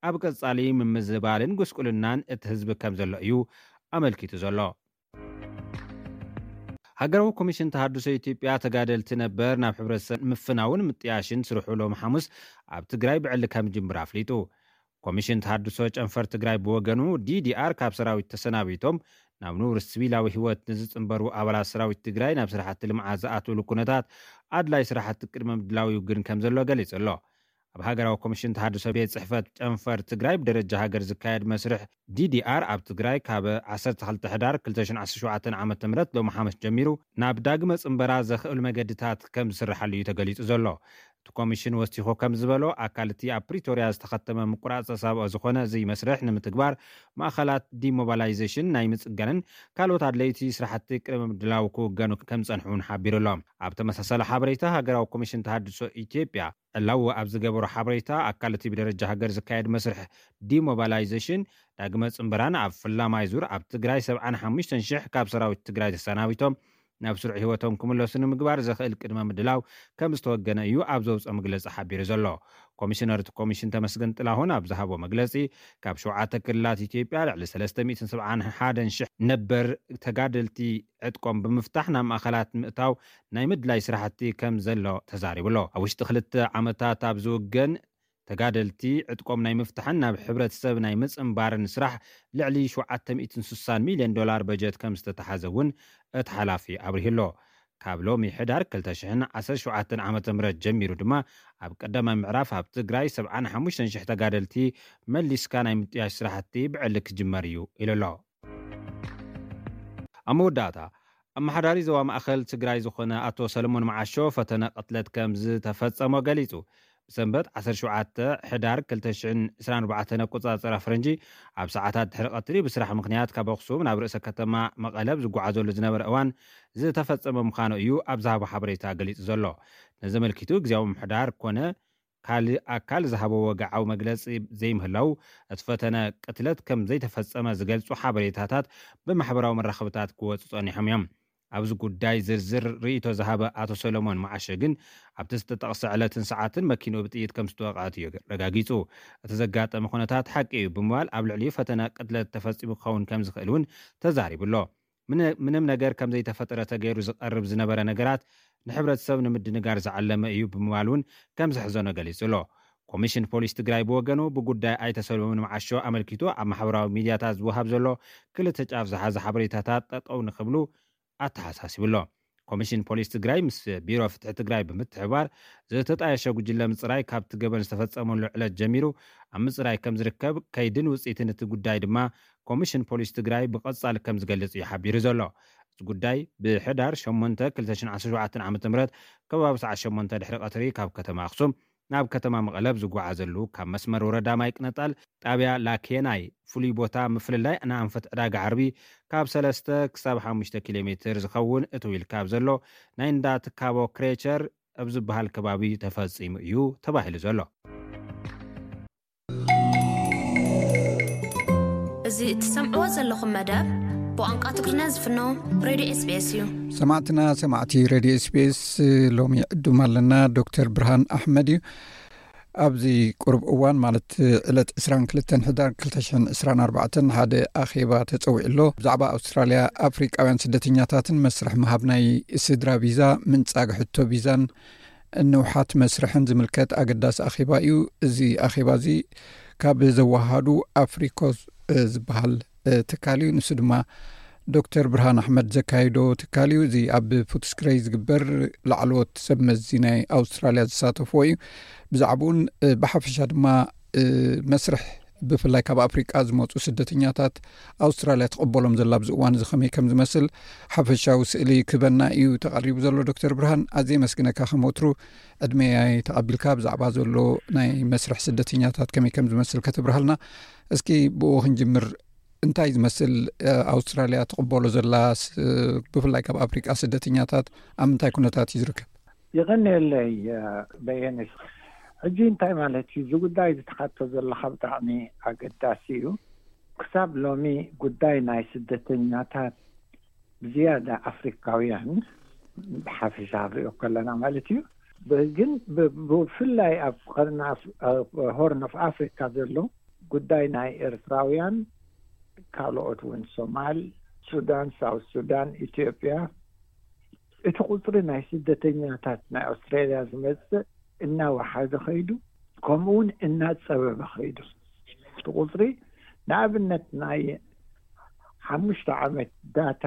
ኣብ ቀጻሊ ምምዝባልን ጉስቁልናን እቲ ህዝቢ ከም ዘሎ እዩ ኣመልኪቱ ዘሎ። ሃገራዊ ኮሚሽን ተሃድሶ ኢትዮጵያ፣ ተጋደልቲ ነበር ናብ ሕብረተሰብ ምፍናውን ምጥያሽን ስርሑ ሎሚ ሓሙስ ኣብ ትግራይ ብዕሊ ከም ጅምር ኣፍሊጡ። ኮሚሽን ተሃድሶ ጨንፈር ትግራይ ብወገኑ፣ ዲዲኣር ካብ ሰራዊት ተሰናቢቶም ናብ ንቡር ሲቪላዊ ህይወት ንዝጽንበሩ ኣባላት ሰራዊት ትግራይ ናብ ስራሕቲ ልምዓት ዝኣትውሉ ኩነታት ኣድላይ ስራሕቲ ቅድመ ምድላው ይውግን ከም ዘሎ ገሊጹ ኣሎ። ኣብ ሃገራዊ ኮሚሽን ተሃድሶ ቤት ጽሕፈት ጨንፈር ትግራይ ብደረጃ ሃገር ዝካየድ መስርሕ ዲዲኣር ኣብ ትግራይ ካብ ዓሰርተ ክልተ ሕዳር ክልተ ሽሕን ዓሰርተ ሸውዓተን ዓመተ ምህረት ሎሚ ሓሙስ ጀሚሩ ናብ ዳግመ ጽንበራ ዘኽእል መገድታት ከም ዝስርሓሉ እዩ ተገሊጹ ዘሎ። እቲ ኮሚሽን ወሲኹ ከም ዝበሎ፣ ኣካል እቲ ኣብ ፕሪቶርያ ዝተኸተመ ምቁራጽ ተሳብኦ ዝኾነ እዚ መስርሕ ንምትግባር፣ ማእኸላት ዲሞባላይዜሽን ናይ ምጽጋንን ካልኦት ኣድለይቲ ስራሕቲ ቅድመ ምድላው ክውገኑ ከም ዝጸንሑ እውን ሓቢሩ ኣሎ። ኣብ ተመሳሳሊ ሓበሬታ፣ ሃገራዊ ኮሚሽን ተሃድሶ ኢትዮጵያ ዕላዊ ኣብ ዝገበሮ ሓበሬታ፣ ኣካል እቲ ብደረጃ ሃገር ዝካየድ መስርሕ ዲሞባላይዜሽን ዳግመ ጽንበራን ኣብ ፈላማይ ዙር ኣብ ትግራይ ሰብዓን ሓሙሽተን ሽሕ ካብ ሰራዊት ትግራይ ተሰናቢቶም ናብ ስሩዕ ህይወቶም ክምለሱ ንምግባር ዘኽእል ቅድመ ምድላው ከም ዝተወገነ እዩ ኣብ ዘውፅኦ መግለፂ ሓቢሩ ዘሎ። ኮሚሽነር እቲ ኮሚሽን ተመስገን ጥላሁን ኣብ ዝሃቦ መግለፂ፣ ካብ ሸውዓተ ክልላት ኢትዮጵያ ልዕሊ ሰለስተ ሚእትን ሰብዓን ሓደን ሽሕ ነበር ተጋደልቲ ዕጥቆም ብምፍታሕ ናብ ማእኸላት ምእታው ናይ ምድላይ ስራሕቲ ከም ዘሎ ተዛሪቡ ኣሎ። ኣብ ውሽጢ ክልተ ዓመታት ኣብ ዝውገን ተጋደልቲ ዕጥቆም ናይ ምፍታሕን ናብ ሕብረተሰብ ናይ ምጽንባርን ስራሕ ልዕሊ ሸውዓተ ሚእትን ስሳን ሚልዮን ዶላር በጀት ከም ዝተተሓዘ እውን እቲ ሓላፊ ኣብሪሁ ኣሎ። ካብ ሎሚ ሕዳር ክልተ ሽሕን ዓሰርተ ሸውዓተን ዓመተ ምህረት ጀሚሩ ድማ ኣብ ቀዳማይ ምዕራፍ ኣብ ትግራይ ሰብዓን ሓሙሽተን ሽሕ ተጋደልቲ መሊስካ ናይ ምጥያሽ ስራሕቲ ብዕሊ ክጅመር እዩ ኢሉ ኣሎ። ኣብ መወዳእታ፣ ኣመሓዳሪ ዞባ ማእኸል ትግራይ ዝኾነ ኣቶ ሰለሞን መዓሾ ፈተነ ቅትለት ከም ዝተፈጸሞ ገሊጹ። ብሰንበት ዓሰርተ ሸውዓተ ሕዳር ክልተ ሽሕን ዕስራን ኣርባዕተን ኣቆጻጽራ ፈረንጂ፣ ኣብ ሰዓታት ድሕሪ ቀትሪ ብስራሕ ምኽንያት ካብ ኣኽሱም ናብ ርእሰ ከተማ መቐለ ኣብ ዝጓዓዘሉ ዝነበረ እዋን ዝተፈጸመ ምዃኑ እዩ ኣብ ዝሃቦ ሓበሬታ ገሊጹ ዘሎ። ነዚ ኣመልኪቱ፣ ግዝያዊ ምምሕዳር ኮነ ካልእ ኣካል ዝሃቦ ወግዓዊ መግለጺ ዘይምህላው፣ እቲ ፈተነ ቅትለት ከም ዘይተፈጸመ ዝገልጹ ሓበሬታታት ብማሕበራዊ መራኸብታት ክወጹ ጸኒሖም እዮም። ኣብዚ ጉዳይ ዝርዝር ርእይቶ ዝሃበ ኣቶ ሰሎሞን መዓሾ ግን፣ ኣብቲ ዝተጠቕሰ ዕለትን ሰዓትን መኪንኡ ብጥይት ከም ዝተወቕዐት እዩ ረጋጊጹ። እቲ ዘጋጠመ ኩነታት ሓቂ እዩ ብምባል፣ ኣብ ልዕሊኡ ፈተነ ቅትለት ተፈጺሙ ክኸውን ከም ዝኽእል እውን ተዛሪቡ ኣሎ። ምነ-፣ ምንም ነገር ከም ዘይተፈጠረ ተገይሩ ዝቐርብ ዝነበረ ነገራት ንሕብረተሰብ ንምድንጋር ዝዓለመ እዩ ብምባል እውን ከም ዘሕዘኖ ገሊጹ ኣሎ። ኮሚሽን ፖሊስ ትግራይ ብወገኑ፣ ብጉዳይ ኣይተ ሰሎሞን መዓሾ ኣመልኪቱ ኣብ ማሕበራዊ ሚድያታት ዝወሃብ ዘሎ ክልተ ጫፍ ዝሓዘ ሓበሬታታት ጠጠው ንክብሉ ኣተሓሳሲቡ ኣሎ። ኮሚሽን ፖሊስ ትግራይ ምስ ቢሮ ፍትሒ ትግራይ ብምትሕብባር፣ ዝተጣየሸ ጉጅለ ምፅራይ ካብቲ ገበን ዝተፈጸመሉ ዕለት ጀሚሩ ኣብ ምፅራይ ከም ዝርከብ፣ ከይድን ውፅኢትን እቲ ጉዳይ ድማ ኮሚሽን ፖሊስ ትግራይ ብቐጻሊ ከም ዝገልጽ እዩ ሓቢሩ ዘሎ። እዚ ጉዳይ ብሕዳር ሸሞንተ ክልተ ሽሕን ዓሰርተ ሸውዓተን ዓመተ ምህረት ከባቢ ሰዓት ሸሞንተ ድሕሪ ቀትሪ ካብ ከተማ ኣኽሱም ናብ ከተማ መቐለ ኣብ ዝጓዓዘሉ፣ ካብ መስመር ወረዳ ማይ ቅነጣል ጣብያ ላኬናይ ፍሉይ ቦታ ምፍልላይ ንኣንፈት ዕዳጋ ዓርቢ ካብ ሰለስተ ክሳብ ሓሙሽተ ኪሎ ሜትር ዝኸውን እትው ኢልካ ኣብ ዘሎ ናይ እንዳ ትካቦ ክሬቸር ኣብ ዝበሃል ከባቢ ተፈጺሙ እዩ ተባሂሉ ዘሎ። እዚ እትሰምዕዎ ዘለኹም መደብ ብቋንቋ ትግርኛ ዝፍኖ ሬድዮ ኤስቢኤስ እዩ። ሰማዕትና ሰማዕቲ ሬድዮ ኤስቢኤስ፣ ሎሚ ዕዱም ኣለና። ዶክተር ብርሃን ኣሕመድ እዩ። ኣብዚ ቁሩብ እዋን፣ ማለት ዕለት ዕስራን ክልተን ሕዳር ክልተ ሽሕን ዕስራን ኣርባዕተን፣ ሓደ ኣኼባ ተጸዊዑ ኣሎ። ብዛዕባ ኣውስትራልያ ኣፍሪቃውያን ስደተኛታትን መስርሕ ምሃብ ናይ ስድራ ቪዛ፣ ምንጻግ ሕቶ ቪዛን ንውሓት መስርሕን ዝምልከት ኣገዳሲ ኣኼባ እዩ። እዚ ኣኼባ እዚ ካብ ዘወሃዱ ኣፍሪኮስ ዝበሃል ትካል እዩ። ንሱ ድማ ዶክተር ብርሃን ኣሕመድ ዘካየዶ ትካል እዩ። እዚ ኣብ ፉትስክረይ ዝግበር ላዕለዎት ሰብ መዚ ናይ ኣውስትራልያ ዝሳተፍዎ እዩ። ብዛዕባኡን ብሓፈሻ ድማ መስርሕ ብፍላይ ካብ ኣፍሪቃ ዝመፁ ስደተኛታት ኣውስትራልያ ትቕበሎም ዘላ ኣብዚ እዋን እዚ ከመይ ከም ዝመስል ሓፈሻዊ ስእሊ ክበና እዩ ተቐሪቡ ዘሎ። ዶክተር ብርሃን፣ ኣዝየ የመስግነካ። ከም ወትሩ ዕድመ ተቐቢልካ ብዛዕባ ዘሎ ናይ መስርሕ ስደተኛታት ከመይ ከም ዝመስል ከተብርሃልና፣ እስኪ ብኡ ክንጅምር። እንታይ ዝመስል ኣውስትራልያ ትቕበሎ ዘላ፣ ብፍላይ ካብ ኣፍሪቃ ስደተኛታት ኣብ ምንታይ ኩነታት እዩ ዝርከብ? ይቐንየለይ በየነ። ሕጂ እንታይ ማለት እዩ? እዚ ጉዳይ ዝተሓቶ ዘለካ ብጣዕሚ ኣገዳሲ እዩ። ክሳብ ሎሚ ጉዳይ ናይ ስደተኛታት ብዝያዳ ኣፍሪካውያን ብሓፈሻ ንሪኦ ከለና ማለት እዩ። ግን ብፍላይ ኣብ ሆርን ኦፍ ኣፍሪካ ዘሎ ጉዳይ ናይ ኤርትራውያን፣ ካልኦት እውን ሶማል፣ ሱዳን፣ ሳውት ሱዳን፣ ኢትዮጵያ፣ እቲ ቁፅሪ ናይ ስደተኛታት ናይ ኣውስትራልያ ዝመፅእ እናወሓደ ከይዱ፣ ከምኡ እውን እናፀበበ ከይዱ። እቲ ቁፅሪ ንኣብነት ናይ ሓሙሽተ ዓመት ዳታ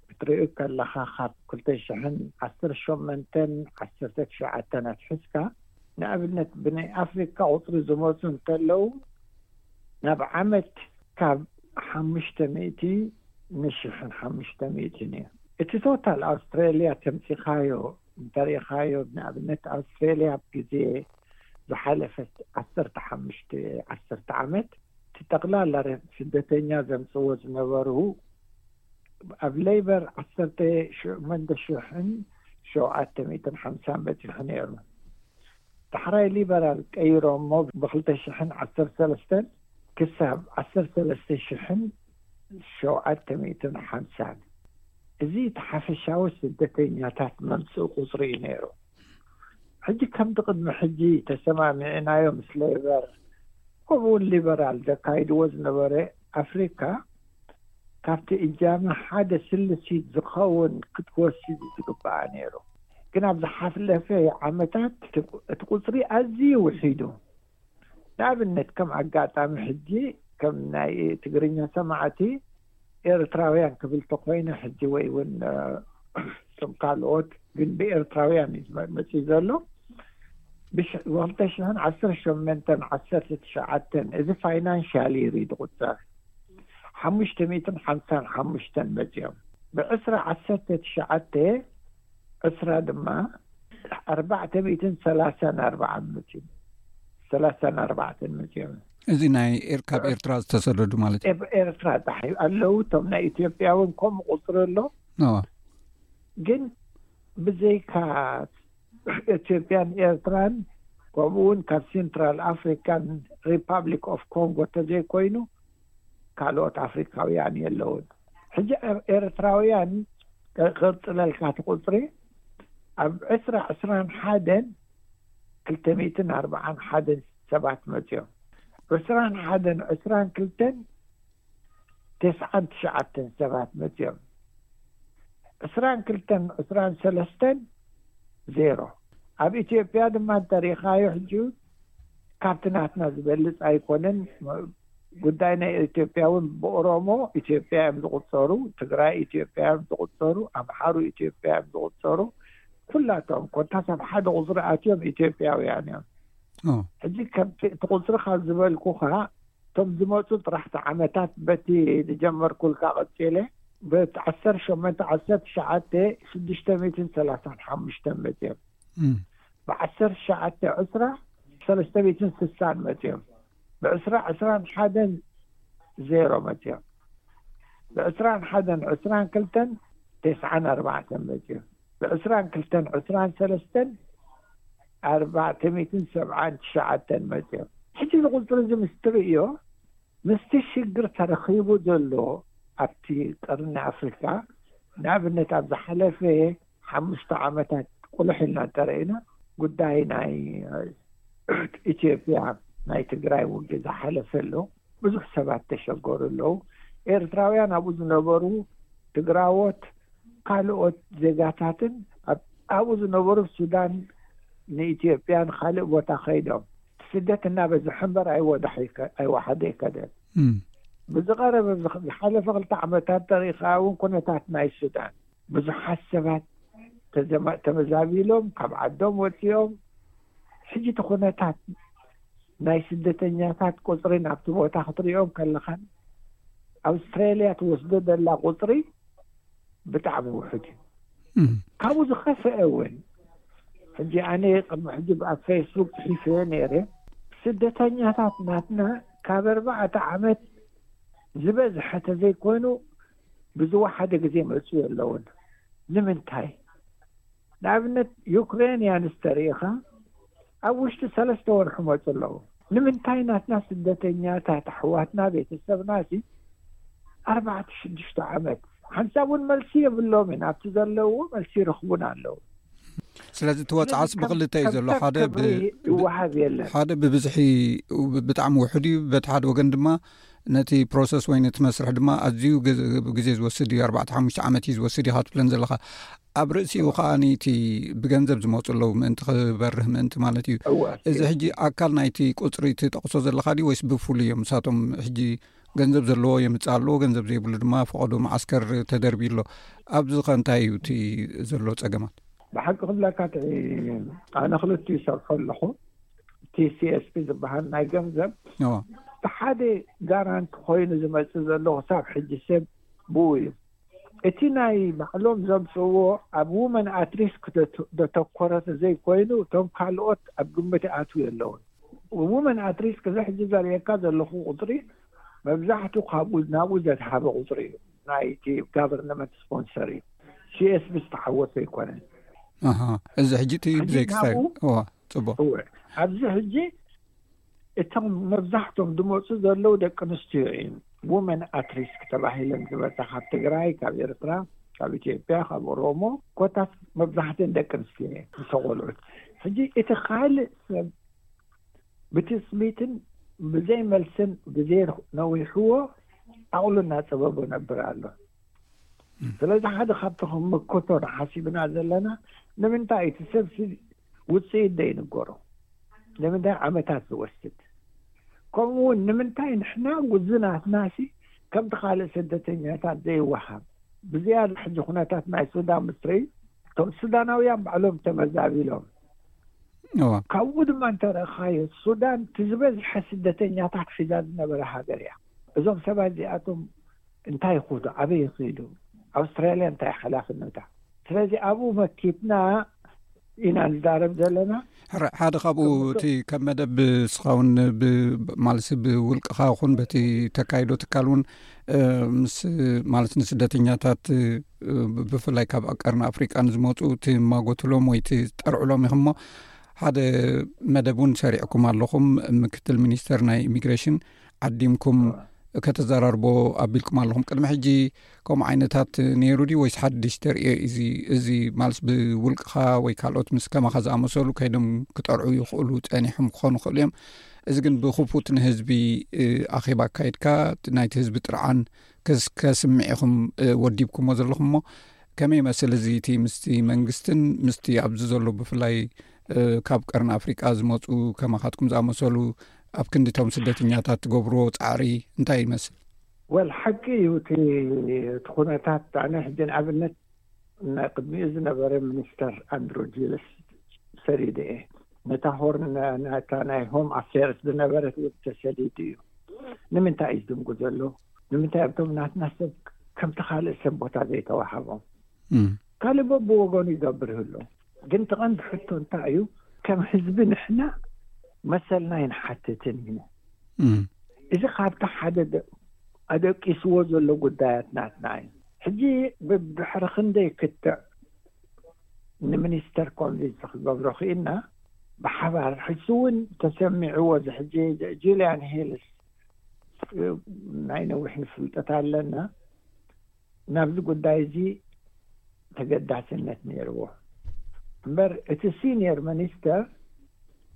ክትርኢ ከለካ፣ ካብ ክልተ ሽሕን ዓሰርተ ሸሞንተን ዓሰርተ ትሽዓተን ኣትሒዝካ፣ ንኣብነት ብናይ ኣፍሪካ ቁፅሪ ዝመፁ እንተለዉ፣ ናብ ዓመት ካብ ሓሙሽተ ሚእቲ ንሽሕን ሓሙሽተ ሚእትን እዩ። እቲ ቶታል ኣውስትራልያ ተምፂኻዮ እንተሪኢኻዮ፣ ንኣብነት ኣውስትራልያ ኣብ ግዜ ዝሓለፈት ዓሰርተ ሓሙሽተ ዓሰርተ ዓመት፣ እቲ ጠቕላላ ስደተኛ ዘምፅዎ ዝነበሩ፣ ኣብ ሌበር ዓሰርተ ሸሞንተ ሽሕን ሸውዓተ ሚእትን ሓምሳን በፂሑ ነይሩ። ዳሕራይ ሊበራል ቀይሮሞ፣ ብክልተ ሽሕን ዓሰርተ ሰለስተን ክሳብ ዓሰርተ ሰለስተ ሽሕን ሸውዓተ ሚእትን ሓምሳን። እዚ እቲ ሓፈሻዊ ስደተኛታት መምፅኢ ቁፅሪ እዩ ነይሩ። ሕጂ ከምቲ ቅድሚ ሕጂ ተሰማሚዕናዮ ምስ ሌበር፣ ከምኡ እውን ሊበራል ዘካይድዎ ዝነበረ፣ ኣፍሪካ ካብቲ እጃመ ሓደ ስልሲት ዝኸውን ክትወስድ ዝግባኣ ነይሩ። ግን ኣብ ዝሓለፈ ዓመታት እቲ ቁፅሪ ኣዝዩ ውሒዱ። ንኣብነት ከም ኣጋጣሚ ሕጂ ከም ናይ ትግርኛ ሰማዕቲ ኤርትራውያን ክብል ተኮይነ ሕጂ ወይ እውን እቶም ካልኦት ግን ብኤርትራውያን እዩ መፅኡ ዘሎ። ብክልተ ሽሕን ዓሰርተ ሸሞንተን ዓሰርተ ትሽዓተን እዚ ፋይናንሻል ይር እዩ ዝቁፀር። ሓሙሽተ ሚእትን ሓምሳን ሓሙሽተን መፅኦም ብዕስራ ዓሰርተ ትሽዓተ ዕስራ ድማ ኣርባዕተ ሚእትን ሰላሳን ኣርባዓን መፅኦም። ሰላሳን ኣርባዕተን መፅኦም። እዚ ናይ ኤር- ካብ ኤርትራ ዝተሰደዱ ማለት እዩ። ኤብ- ኤርትራ ጣሕ ኣለዉ። እቶም ናይ ኢትዮጵያ እውን ከምኡ ቁፅሪ ኣሎ። ኖ። ግን ብዘይካ ኢትዮጵያን ኤርትራን ከምኡ እውን ካብ ሴንትራል ኣፍሪካን ሪፓብሊክ ኦፍ ኮንጎ ተዘይኮይኑ ካልኦት ኣፍሪካውያን የለውን። ሕጂ ኤር- ኤርትራውያን ክቕፅለልካ እቲ ቁፅሪ፣ ኣብ ዕስራ ዕስራን ሓደን ክልተ ሚእትን ኣርባዓን ሓደን ሰባት መፅዮም። ዕስራን ሓደን ዕስራን ክልተን ተስዓን ትሽዓተን ሰባት መፅዮም። ዕስራን ክልተን ዕስራን ሰለስተን ዜሮ። ኣብ ኢትዮጵያ ድማ እንተሪኢኻዮ ሕጂ ካብቲ ናትና ዝበልፅ ኣይኮነን። ጉዳይ ናይ ኢትዮጵያ እውን ብኦሮሞ ኢትዮጵያ እዮም ዝቑፀሩ፣ ትግራይ ኢትዮጵያ እዮም ዝቑፀሩ፣ ኣምሓሩ ኢትዮጵያ እዮም ዝቑፀሩ። ኩላቶም ኮታስ ኣብ ሓደ ቁፅሪ ኣትዮም ኢትዮጵያውያን እዮም። ሕጂ ከምቲ እቲ ቁፅሪ ካብ ዝበልኩኻ እቶም ዝመፁ ጥራሕቲ ዓመታት በቲ ዝጀመርኩልካ ቀፂለ ብዓሰርተ ሸሞንተ ዓሰርተ ትሽዓተ ሽዱሽተ ሚእትን ሰላሳን ሓሙሽተ መፅዮም። ብዓሰርተ ትሽዓተ ዕስራ ሰለስተ ሚእትን ስሳን መፅዮም። ብዕስራ ዕስራን ሓደን ዜሮ መፅዮም። ብዕስራን ሓደን ዕስራን ክልተን ተስዓን ኣርባዕተን መፅዮም። ብዕስራን ክልተን ዕስራን ሰለስተን ኣርባዕተ ሚእትን ሰብዓን ትሽዓተን መፅዮም። ሕጂ እዚ ቁፅሪ እዚ ምስ ትርእዮ ምስቲ ሽግር ተረኺቡ ዘሎ ኣብቲ ቀርኒ ኣፍሪካ፣ ንኣብነት ኣብ ዝሓለፈ ሓሙሽተ ዓመታት ቁልሕ ኢልና እንተረኢና ጉዳይ ናይ ኢትዮጵያ ናይ ትግራይ ውግእ ዝሓለፈ ኣሎ። ብዙሕ ሰባት ተሸገሩ ኣለዉ። ኤርትራውያን ኣብኡ ዝነበሩ ትግራዎት ካልኦት ዜጋታትን ኣብኡ ዝነበሩ ሱዳን ንኢትዮጵያን ካልእ ቦታ ከይዶም ስደት እናበዝሐ እምበር ኣይወዳሕ ኣይወሓደ ኣይከደን። ብዝቐረበ ዝሓለፈ ክልተ ዓመታት ተሪኻ እውን ኩነታት ናይ ሱዳን ብዙሓት ሰባት ተመዛቢሎም ካብ ዓዶም ወፂኦም። ሕጂ እቲ ኩነታት ናይ ስደተኛታት ቁፅሪ ናብቲ ቦታ ክትሪኦም ከለኻን ኣውስትራሊያ ትወስዶ ዘላ ቁፅሪ ብጣዕሚ ውሑድ እዩ። ካብኡ ዝኸፍአ እውን ሕጂ ኣነ ቅድሚ ሕጂ ኣብ ፌስቡክ ፅሒፈዮ ነይረ። ስደተኛታት ናትና ካብ ኣርባዕተ ዓመት ዝበዝሐ ተዘይኮይኑ ብዝወሓደ ግዜ መፅኡ የለውን። ንምንታይ? ንኣብነት ዩክሬንያንስ ተሪኢኻ ኣብ ውሽጢ ሰለስተ ወርሒ መፁ ኣለዉ። ንምንታይ ናትና ስደተኛታት ኣሕዋትና ቤተሰብና ሲ ኣርባዕተ ሽዱሽተ ዓመት ሓንሳብ እውን መልሲ የብሎምን። ኣብቲ ዘለውዎ መልሲ ይረኽቡን ኣለዉ። ስለዚ እቲ ወፅዓስ ብክልተ እዩ ዘሎ። ሓደ ይወሃብ የለን። ሓደ ብብዝሒ ብጣዕሚ ውሑድ እዩ። በቲ ሓደ ወገን ድማ ነቲ ፕሮሰስ ወይ ነቲ መስርሕ ድማ ኣዝዩ ግዜ ዝወስድ እዩ። ኣርባዕተ ሓሙሽተ ዓመት እዩ ዝወስድ ኢኻ ትብለን ዘለኻ። ኣብ ርእሲኡ ከዓ እቲ ብገንዘብ ዝመፁ ኣለዉ ምእንቲ ክበርህ ምእንቲ ማለት እዩ። እዚ ሕጂ ኣካል ናይቲ ቁፅሪ ትጠቕሶ ዘለኻ ድዩ ወይስ ብፍሉይ እዮም ንሳቶም? ሕጂ ገንዘብ ዘለዎ የምፅእ ኣለዎ፣ ገንዘብ ዘይብሉ ድማ ፈቐዶ መዓስከር ተደርቢ ኣሎ። ኣብዚ ከ እንታይ እዩ እቲ ዘሎ ፀገማት? ብሓቂ ክብለካ ኣነ ክልቲኡ ይሰርሖ ኣለኹ። ቲ ሲ ኤስ ፒ ዝበሃል ናይ ገንዘብ ሓደ ጋራንት ኮይኑ ዝመፅእ ዘሎ ክሳብ ሕጂ ሰብ ብኡ እዩ። እቲ ናይ ባዕሎም ዘምፅእዎ ኣብ ውመን ኣትሪስክ ዘተኮረ ዘይኮይኑ እቶም ካልኦት ኣብ ግምት ኣትው የለውን። ውመን ኣትሪስክ እዚ ሕጂ ዘርእየካ ዘለኹ ቁፅሪ መብዛሕቱ ካብኡ ናብኡ ዘትሃበ ቁፅሪ እዩ። ናይቲ ጋቨርንመንት ስፖንሰር እዩ። ሲ ኤስ ቢ ዝተሓወሰ ኣይኮነን። እዚ ሕጂ እቲ ብዘይክስታይ ጽቡቅ። ኣብዚ ሕጂ እቶም መብዛሕቶም ዝመፁ ዘለዉ ደቂ ኣንስትዮ እዮም። ውመን ኣትሪስክ ተባሂለን ዝመፃ ካብ ትግራይ፣ ካብ ኤርትራ፣ ካብ ኢትዮጵያ፣ ካብ ኦሮሞ ኮታት መብዛሕትእን ደቂ ኣንስትዮ እየን ዝተቆልዑት። ሕጂ እቲ ካልእ ሰብ ብትፅቢትን ብዘይ መልስን ግዜ ነዊሕዎ ዓቕሉ እናፀበቦ ነብር ኣሎ። ስለዚ ሓደ ካብቲ ክምክቶ ንሓሲብና ዘለና ንምንታይ እቲ ሰብ ውፅኢት ዘይንገሮ? ንምንታይ ዓመታት ዝወስድ? ከምኡ እውን ንምንታይ ንሕና ውዝናትና ሲ ከምቲ ካልእ ስደተኛታት ዘይወሃብ? ብዝያዳ ሕጂ ኩነታት ናይ ሱዳን ምስ ትርኢ እቶም ሱዳናውያን ባዕሎም ተመዛቢሎም ካብኡ ድማ እንተረእኻዮ ሱዳን እቲ ዝበዝሐ ስደተኛታት ሒዛ ዝነበረ ሃገር እያ። እዞም ሰባት እዚኣቶም እንታይ ይኹዱ? ኣበይ ይኽዱ? ኣውስትራልያ እንታይ ሓላፍነታ? ስለዚ ኣብኡ መኪትና ኢና ንዛረብ ዘለና። ሕራይ ሓደ ካብኡ እቲ ከም መደብ ንስኻ እውን ማለትሲ ብውልቅኻ ይኹን በቲ ተካይዶ ትካል እውን ምስ ማለት ንስደተኛታት ብፍላይ ካብ ቀርኒ ኣፍሪቃ ንዝመፁ ትማጎትሎም ወይ ትጠርዕሎም ኢኹም እሞ ሓደ መደብ እውን ሰሪዕኩም ኣለኹም። ምክትል ሚኒስተር ናይ ኢሚግሬሽን ዓዲምኩም ከተዘራርቦ ኣቢልኩም ኣለኹም። ቅድሚ ሕጂ ከምኡ ዓይነታት ነይሩ ድዩ ወይስ ሓድሽ ተርእዮ? እዚ እዚ ማለት ብውልቅኻ ወይ ካልኦት ምስ ከማኻ ዝኣመሰሉ ከይዶም ክጠርዑ ይኽእሉ፣ ጸኒሖም ክኾኑ ይኽእሉ እዮም። እዚ ግን ብክፉት ንህዝቢ ኣኼባ ኣካይድካ ናይቲ ህዝቢ ጥርዓን ከስምዕ ኢኹም ወዲብኩሞ ዘለኹም። እሞ ከመይ ይመስል እዚ እቲ ምስቲ መንግስትን ምስቲ ኣብዚ ዘሎ ብፍላይ ካብ ቀርኒ ኣፍሪቃ ዝመፁ ከማኻትኩም ዝኣመሰሉ ኣብ ክንዲቶም ስደተኛታት ትገብርዎ ፃዕሪ እንታይ ይመስል? ወል ሓቂ እዩ እቲ እቲ ኩነታት። ኣነ ሕጂ ንኣብነት ናይ ቅድሚኡ ዝነበረ ሚኒስተር ኣንድሮ ጂልስ ሰሪደ እየ። ነታ ሆርን ናታ ናይ ሆም ኣፌርስ ዝነበረት እውን ተሰሊዱ እዩ። ንምንታይ እዩ ዝድንጉ ዘሎ? ንምንታይ ኣብቶም ናትና ሰብ ከምቲ ካልእ ሰብ ቦታ ዘይተዋሃቦም? ካልእ በብወገኑ ይገብር ይህሉ። ግን ተቐንዲ ሕቶ እንታይ እዩ? ከም ህዝቢ ንሕና መሰልና ይንሓትትን ኢና። እዚ ካብቲ ሓደ ኣደቂስዎ ዘሎ ጉዳያት ናትና እዩ። ሕጂ ብድሕሪ ክንደይ ክትዕ ንሚኒስተር ኮንቪንስ ክገብሮ ክኢልና ብሓባር ሕጂ እውን ተሰሚዕዎ እዚ ሕጂ ጁልያን ሂልስ ናይ ነዊሕ ንፍልጠት ኣለና ናብዚ ጉዳይ እዚ ተገዳስነት ነይርዎ። እምበር እቲ ሲኒየር ሚኒስተር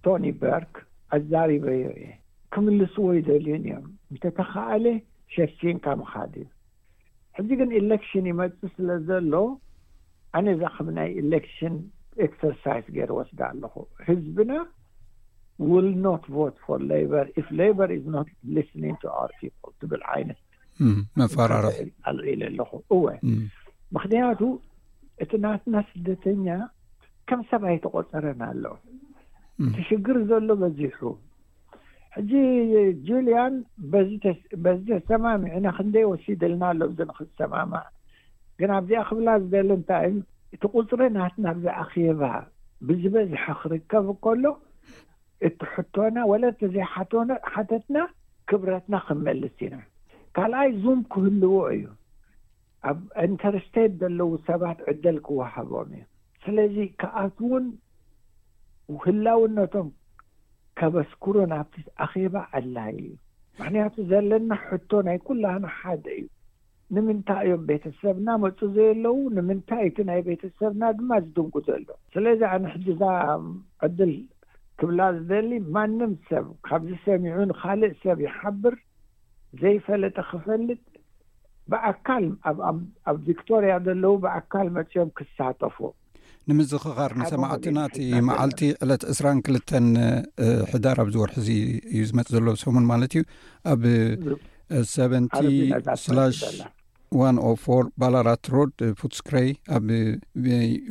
ቶኒ በርክ ኣዛሪበዮ እየ። ክምልስዎ ይደልዩን እዮም። እንተተኻኣለ ሸፊንካ ምኻድ እዩ። ሕጂ ግን ኢሌክሽን ይመጽእ ስለ ዘሎ ኣነ እዛ ከም ናይ ኢሌክሽን ኤክሰርሳይዝ ገይረ ወስዳ ኣለኹ። ህዝብና will not vote for Labour if Labour is not listening to our people ትብል ዓይነት መፈራርሒ ኣልዒለ ኣለኹ። እወ፣ ምክንያቱ እቲ ናትና ስደተኛ ከም ሰብ ኣይተቆፀረን ኣሎ። እቲ ሽግር ዘሎ በዚሑ። ሕጂ ጁልያን በዚ ተሰማሚዕና ክንደይ ወሲድልና ኣሎ እዚ ንክሰማማዕ። ግን ኣብዚኣ ክብላ ዝደሊ እንታይ እቲ ቁፅሪ ናትና ኣብዚ ኣኼባ ብዝበዝሐ ክርከብ ከሎ እቲ ሕቶና ወለ እቲ ዘይሓተትና ክብረትና ክንመልስ ኢና። ካልኣይ ዙም ክህልዎ እዩ። ኣብ ኢንተርስቴት ዘለዉ ሰባት ዕድል ክወሃቦም እዩ። ስለዚ ክኣትውን ህላውነቶም ከበስኩሩ ናብቲ ኣኼባ ኣድላይ እዩ። ምክንያቱ ዘለና ሕቶ ናይ ኩላህና ሓደ እዩ። ንምንታይ እዮም ቤተሰብና መፁ ዘየለዉ? ንምንታይ እቲ ናይ ቤተሰብና ድማ ዝድንጉ ዘሎ? ስለዚ ኣነ ሕጂ እዛ ዕድል ክብላ ዝደሊ ማንም ሰብ ካብዚ ሰሚዑ ንካልእ ሰብ ይሓብር ዘይፈለጠ ክፈልጥ ብኣካል ኣብ ቪክቶርያ ዘለዉ ብኣካል መፅኦም ክሳተፉ ንምዝኽኻር ንሰማዕትና እቲ መዓልቲ ዕለት ዕስራን ክልተን ሕዳር ኣብዚ ወርሒ እዚ እዩ ዝመፅእ ዘሎ ሰሙን ማለት እዩ። ኣብ ሰቨንቲ ስላሽ ዋን ኦ ፎር ባላራት ሮድ ፉትስክረይ ኣብ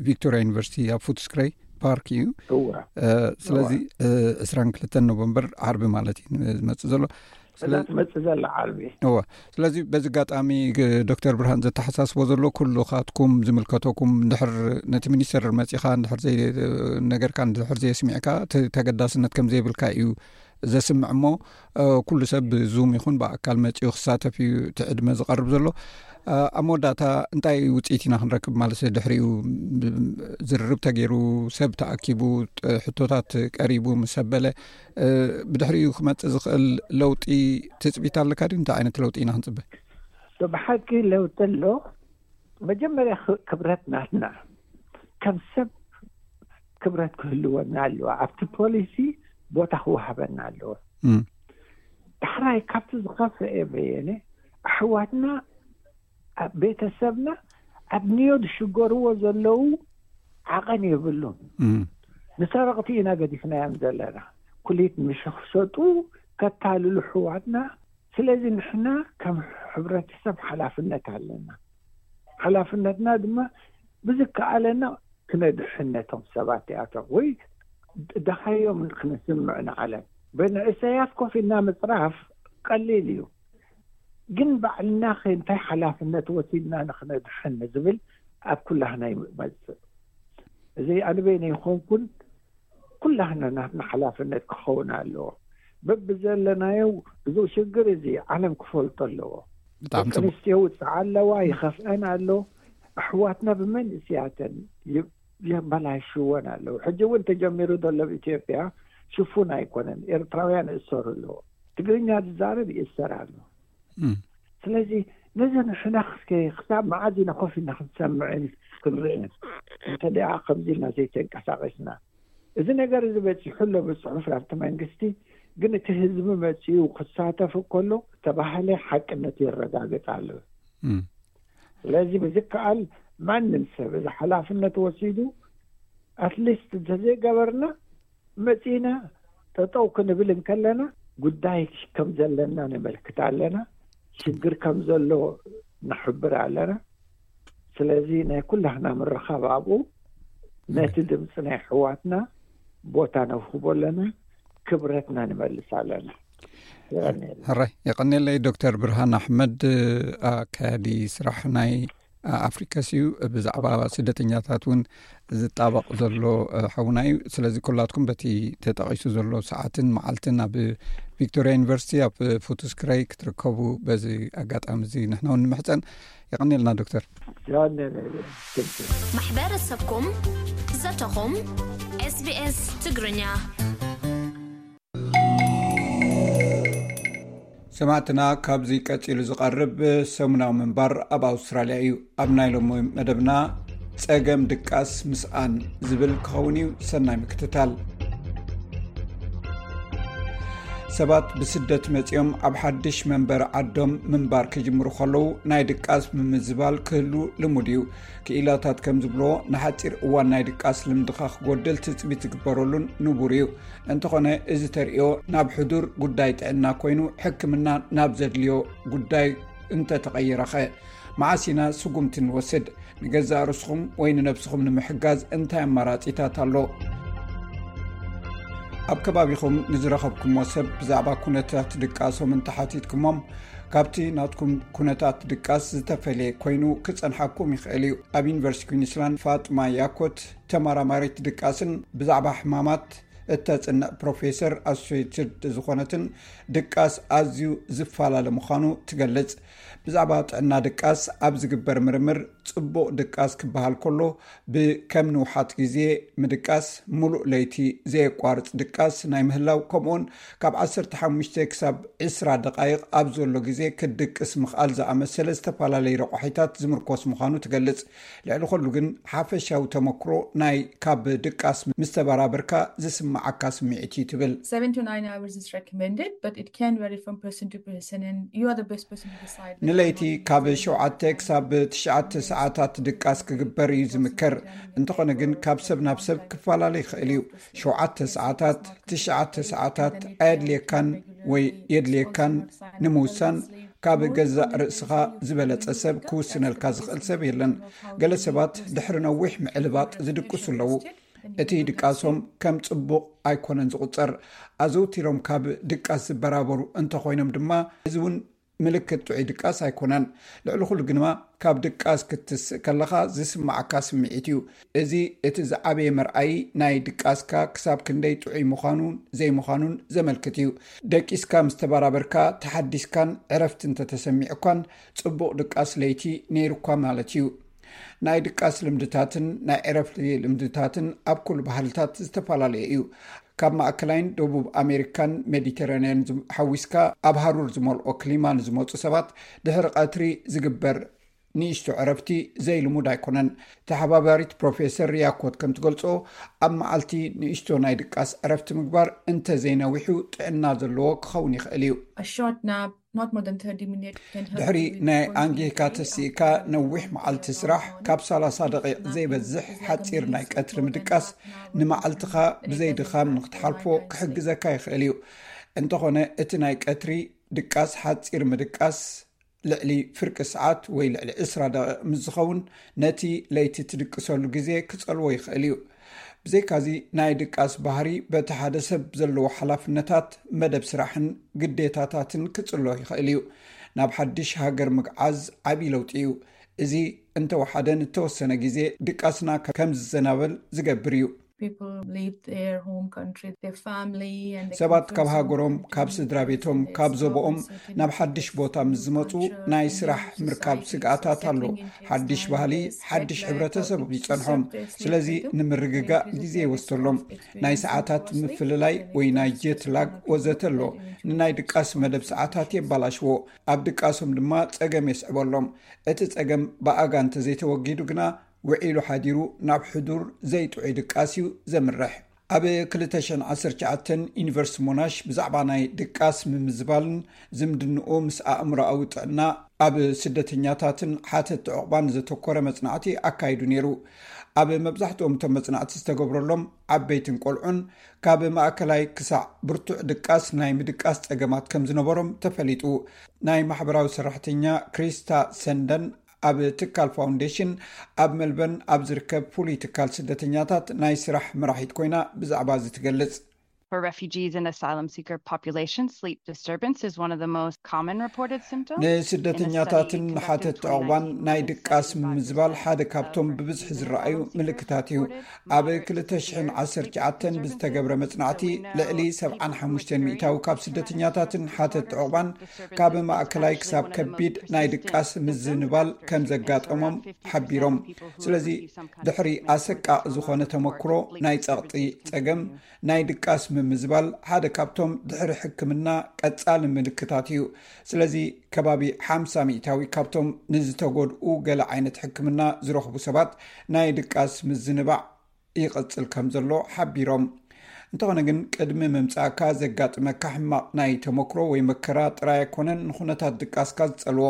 ቪክቶሪያ ዩኒቨርሲቲ ኣብ ፉትስክረይ ፓርክ እዩ። ስለዚ ዕስራን ክልተን ኖቨምበር ዓርቢ ማለት እዩ ዝመፅእ ዘሎ። እዛ ትመፅእ ዘላ ዓርቢ እወ። ስለዚ በዚ ኣጋጣሚ ዶክተር ብርሃን ዘተሓሳስቦ ዘሎ ኩልኻትኩም ዝምልከተኩም እንድሕር ነቲ ሚኒስተር መፂኻ እንድሕር ነገርካ እንድሕር ዘየስሚዕካ ተገዳስነት ከም ዘይብልካ እዩ ዘስምዕ እሞ ኩሉ ሰብ ብዙም ይኹን ብኣካል መፂኡ ክሳተፍ እዩ እቲ ዕድመ ዝቐርብ ዘሎ። ኣብ መወዳእታ እንታይ ውፅኢት ኢና ክንረክብ ማለት ድሕሪኡ ዝርርብ ተገይሩ ሰብ ተኣኪቡ ሕቶታት ቀሪቡ ምስ ኣበለ ብድሕሪኡ ክመፅእ ዝኽእል ለውጢ ትፅቢት ኣለካ ድዩ? እንታይ ዓይነት ለውጢ ኢና ክንፅበ? ብሓቂ ለውጢ ኣሎ። መጀመርያ ክብረት ናትና ከም ሰብ ክብረት ክህልወና ኣለዋ። ኣብቲ ፖሊሲ ቦታ ክወሃበና ኣለዎ። ዳሕራይ ካብቲ ዝኸፍአ በየነ ኣሕዋትና ቤተሰብና ኣብ ኒዮ ዝሽገርዎ ዘለዉ ዓቐን የብሉን። ንሰረቕቲ ኢና ገዲፍናዮም ዘለና። ኩሊት ምሸኽሸጡ ከታልሉ ኣሕዋትና። ስለዚ ንሕና ከም ሕብረተሰብ ሓላፍነት ኣለና። ሓላፍነትና ድማ ብዝከኣለና ክነድሕን ነቶም ሰባት እዚኣቶም ወይ ደሃዮም ክነስምዕ ንዓለም። ብንእሰያት ኮፍ ኢልና ምፅራፍ ቀሊል እዩ። ግን ባዕልና ከ እንታይ ሓላፍነት ወሲድና ንክነድሕን ንዝብል ኣብ ኩላህና ይመፅእ። እዚ ኣንበይነ ይኾንኩን ኩላህና ናትና ሓላፍነት ክኸውን ኣለዎ። በብዘለናዮ እዚ ሽግር እዚ ዓለም ክፈልጦ ኣለዎ። ብጣዕሚ ደቂ ጽቡቅ። ኣንስትዮ ውፅዓ ኣለዋ፣ ይኸፍአን ኣሎ። ኣሕዋትና ብመንእስያተን ይ- የበላሽወን ኣለዉ። ሕጂ እውን ተጀሚሩ ዘሎ ኣብ ኢትዮጵያ ሽፉን ኣይኮነን። ኤርትራውያን ይእሰሩ ኣለዎ። ትግርኛ ዝዛረብ ይእሰር ኣሎ። እም። ስለዚ ነዘን ሕነኽ እስከ ክሳብ መዓዝ ኢና ኮፍ ኢልና ክንሰምዕን ክንርእን? እንተ ደኣ ከምዚ ኢልና ዘይተንቀሳቐስና፣ እዚ ነገር እዚ በጺሑ ኣሎ ብጽሑፍ ናብቲ መንግስቲ፣ ግን እቲ ህዝቢ መጺኡ ክሳተፍ ከሎ ተባህለ ሓቅነት የረጋግጽ ኣሎ። እም። ስለዚ ብዝከኣል ማንም ሰብ እዚ ሓላፍነት ወሲዱ፣ ኣትሊስት እንተዘይገበርና፣ መጺና ጠጠው ክንብል እንከለና ጉዳይ ከም ዘለና ነመልክት ኣለና፣ ሽግር ከም ዘሎ ንሕብር ኣለና። ስለዚ ናይ ኩላህና ምርኻብ ኣብኡ ነቲ ድምፂ ናይ ኣሕዋትና ቦታ ነውህቦ ኣለና፣ ክብረትና ንመልስ ኣለና። የቐንየልና። ሕራይ የቐንየለይ። ዶክተር ብርሃን ኣሕመድ፣ ኣካያዲ ስራሕ ናይ ኣፍሪካስ እዩ። ብዛዕባ ስደተኛታት እውን ዝጣበቕ ዘሎ ሓውና እዩ። ስለዚ ኩላትኩም በቲ ተጠቒሱ ዘሎ ሰዓትን መዓልትን ኣብ ቪክቶሪያ ዩኒቨርሲቲ ኣብ ፉትስክረይ ክትርከቡ በዚ ኣጋጣሚ እዚ ንሕና እውን ንምሕፀን። የቐንየልና ዶክተር። የቐንየልና። ማሕበረሰብኩም ዘተኹም ኤስቢኤስ ትግርኛ። ሰማዕትና፣ ካብዚ ቀጺሉ ዝቐርብ ሰሙናዊ ምንባር ኣብ ኣውስትራልያ እዩ። ኣብ ናይ ሎሚ መደብና ጸገም ድቃስ ምስኣን ዝብል ክኸውን እዩ። ሰናይ ምክትታል። ሰባት ብስደት መጺኦም ኣብ ሓድሽ መንበሪ ዓዶም ምንባር ክጅምሩ ከለዉ ናይ ድቃስ ምምዝባል ክህሉ ልሙድ እዩ። ክኢላታት ከም ዝብልዎ፣ ንሓጺር እዋን ናይ ድቃስ ልምድኻ ክጎድል ትጽቢት ዝግበረሉን ንቡር እዩ። እንተኾነ፣ እዚ ተርእዮ ናብ ሕዱር ጉዳይ ጥዕና ኮይኑ፣ ሕክምና ናብ ዘድልዮ ጉዳይ እንተተቐይረኸ? መዓስ ኢና ስጉምቲ ንወስድ? ንገዛእ ርእስኹም ወይ ንነብስኹም ንምሕጋዝ እንታይ ኣማራጺታት ኣሎ? ኣብ ከባቢኹም ንዝረኸብኩሞ ሰብ ብዛዕባ ኩነታት ድቃሶም እንተሓቲትኩሞም፣ ካብቲ ናትኩም ኩነታት ድቃስ ዝተፈልየ ኮይኑ ክጸንሓኩም ይኽእል እዩ። ኣብ ዩኒቨርሲቲ ኩዊንስላንድ ፋጥማ ያኮት፣ ተመራማሪት ድቃስን ብዛዕባ ሕማማት እተጽንዕ ፕሮፌሰር ኣሶሴትድ ዝኾነትን፣ ድቃስ ኣዝዩ ዝፈላለ ምዃኑ ትገልጽ። ብዛዕባ ጥዕና ድቃስ ኣብ ዝግበር ምርምር፣ ጽቡቕ ድቃስ ክበሃል ከሎ፣ ብከም ንውሓት ግዜ ምድቃስ፣ ምሉእ ለይቲ ዘየቋርጽ ድቃስ ናይ ምህላው፣ ከምኡውን ካብ ዓሰርተ ሓሙሽተ ክሳብ ዕስራ ደቓይቕ ኣብ ዘሎ ግዜ ክትድቅስ ምኽኣል ዝኣመሰለ ዝተፈላለዩ ረቋሒታት ዝምርኮስ ምዃኑ ትገልጽ። ልዕሊ ኹሉ ግን፣ ሓፈሻዊ ተመክሮ ናይ ካብ ድቃስ ምስ ተበራበርካ ዝስምዓካ ስምዒት እዩ ትብል። Seven to nine hours is recommended, but it can vary from person to person, and you are the best person to decide, like, ንለይቲ how you ካብ feel ሸውዓተ about ክሳብ ትሽዓተ ሰዓታት ድቃስ ክግበር እዩ ዝምከር። እንተኾነ ግን፣ ካብ ሰብ ናብ ሰብ ክፈላለ ይኽእል እዩ። ሸውዓተ ሰዓታት፣ ትሽዓተ ሰዓታት ኣየድልየካን ወይ የድልየካን ንምውሳን፣ ካብ ገዛእ ርእስኻ ዝበለጸ ሰብ ክውስነልካ ዝኽእል ሰብ የለን። ገለ ሰባት ድሕሪ ነዊሕ ምዕልባጥ ዝድቅሱ ኣለዉ። እቲ ድቃሶም ከም ጽቡቕ ኣይኮነን ዝቑጸር። ኣዘውቲሮም ካብ ድቃስ ዝበራበሩ እንተኾይኖም ድማ፣ እዚ እውን ምልክት ጥዑይ ድቃስ ኣይኮነን። ልዕሊ ኩሉ ግንማ፣ ካብ ድቃስ ክትስእ ከለኻ ዝስምዓካ ስምዒት እዩ። እዚ እቲ ዝዓበየ መርኣዪ ናይ ድቃስካ ክሳብ ክንደይ ጥዑይ ምዃኑን ዘይምዃኑን ዘመልክት እዩ። ደቂስካ ምስ ተበራበርካ፣ ተሓዲስካን ዕረፍቲ እንተተሰሚዑካን፣ ጽቡቕ ድቃስ ለይቲ ነይሩካ ማለት እዩ። ናይ ድቃስ ልምድታትን ናይ ዕረፍቲ ልምድታትን ኣብ ኩሉ ባህልታት ዝተፈላለየ እዩ። ካብ ማእከላይን ደቡብ ኣሜሪካን ሜዲተራንያን ዝም-፣ ሓዊስካ፣ ኣብ ሃሩር ዝመልኦ ክሊማ ንዝመጹ ሰባት፣ ድሕሪ ቀትሪ ዝግበር ንእሽቶ ዕረፍቲ ዘይልሙድ ኣይኮነን። ተሓባባሪት ፕሮፌሰር ያኮት ከም ትገልጾ፣ ኣብ መዓልቲ ንእሽቶ ናይ ድቃስ ዕረፍቲ ምግባር እንተ ዘይነዊሑ ጥዕና ዘለዎ ክኸውን ይኽእል እዩ። A short nap, not more than thirty minutes, can help ድሕሪ you ናይ recover ኣንጊካ from the day ተሲእካ after ነዊሕ መዓልቲ ስራሕ፣ ካብ ሰላሳ ደቂቕ ዘይበዝሕ ሓጺር ናይ ቀትሪ ምድቃስ፣ ንመዓልትኻ ብዘይ ድኻም ንክትሓልፎ ክሕግዘካ ይኽእል እዩ። እንተኾነ፣ እቲ ናይ ቀትሪ ድቃስ ሓጺር ምድቃስ፣ ልዕሊ ፍርቂ ሰዓት ወይ ልዕሊ ዕስራ ደቂቕ ምስ ዝኸውን፣ ነቲ ለይቲ ትድቅሰሉ ግዜ ክጸልዎ ይኽእል እዩ። ብዘይካዚ፣ ናይ ድቃስ ባህሪ በቲ ሓደ ሰብ ዘለዎ ሓላፍነታት፣ መደብ ስራሕን ግዴታታትን ክጽሎ ይኽእል እዩ። ናብ ሓድሽ ሃገር ምግዓዝ ዓቢ ለውጢ እዩ። እዚ እንተወሓደ፣ ንተወሰነ ግዜ ድቃስና ከም ዝዘናበል ዝገብር እዩ። People leave their home country, their family, and they come ሰባት ካብ from ሃገሮም፣ different ካብ ስድራ communities, ቤቶም፣ and they ካብ start ዞቦኦም resetting ናብ the ሓድሽ ቦታ ምስ culture ዝመፁ and ናይ the ስራሕ ምርካብ society ስግኣታት ኣሎ። settling into ሓድሽ time, ባህሊ፣ there's jet ሓድሽ lag, ሕብረተሰብ how to ይፀንሖም። preserve their sleep ስለዚ cycle, ንምርግጋእ and ግዜ this is ይወስደሎም። experiencing ናይ ሰዓታት poor sleep ምፍልላይ and ወይ ናይ reducing jet lag sleep ወዘተ ኣሎ። cycle ንናይ ድቃስ መደብ ሰዓታት የባላሽዎ፣ ኣብ ድቃሶም ድማ ፀገም የስዕበሎም። እቲ ፀገም ብኣጋ እንተዘይተወጊዱ ግና ውዒሉ ሓዲሩ ናብ ሕዱር ዘይጥዑይ ድቃስ እዩ ዘምርሕ። ኣብ ክልተ ሽሕን ዓሰርተ ትሽዓተን ዩኒቨርሲቲ ሞናሽ ብዛዕባ ናይ ድቃስ ምምዝባልን ዝምድንኡ ምስ ኣእምሮኣዊ ጥዕና ኣብ ስደተኛታትን ሓተቲ ዕቑባን ዘተኮረ መጽናዕቲ ኣካይዱ ነይሩ። ኣብ መብዛሕትኦም እቶም መጽናዕቲ ዝተገብረሎም ዓበይትን ቆልዑን ካብ ማእከላይ ክሳዕ ብርቱዕ ድቃስ ናይ ምድቃስ ጸገማት ከም ዝነበሮም ተፈሊጡ። ናይ ማሕበራዊ ሰራሕተኛ ክሪስታ ሰንደን ኣብ ትካል ፋውንዴሽን ኣብ መልበርን ኣብ ዝርከብ ፍሉይ ትካል ስደተኛታት ናይ ስራሕ መራሒት ኮይና ብዛዕባ እዚ ትገልጽ። For refugees and asylum seeker population, sleep disturbance is one of the most common reported symptoms. ንስደተኛታትን ሓተቲ ዕቑባን ናይ ድቃስ ምምዝባል ሓደ ካብቶም ብብዝሒ ዝረኣዩ ምልክታት እዩ። ኣብ ክልተ ሽሕን ዓሰርተ ትሽዓተን ብዝተገብረ መጽናዕቲ ልዕሊ ሰብዓን ሓሙሽተን ሚእታዊ ካብ ስደተኛታትን ሓተቲ ዕቑባን ካብ ማእከላይ ክሳብ ከቢድ ናይ ድቃስ ምዝንባል ከም ዘጋጠሞም ሓቢሮም። ስለዚ ድሕሪ ኣሰቃቂ ዝኾነ ተመክሮ ናይ ጸቕጢ ጸገም ናይ ድቃስ ምምዝባል ሓደ ካብቶም ድሕሪ ሕክምና ቀጻሊ ምልክታት እዩ። ስለዚ ከባቢ ሓምሳ ሚእታዊ ካብቶም ንዝተጎድኡ ገለ ዓይነት ሕክምና ዝረኽቡ ሰባት ናይ ድቃስ ምዝንባዕ ይቐጽል ከም ዘሎ ሓቢሮም። እንተኾነ ግን ቅድሚ ምምጻእካ ዘጋጥመካ ሕማቕ ናይ ተመክሮ ወይ መከራ ጥራይ ኣይኮነን ንኹነታት ድቃስካ ዝጸልዎ።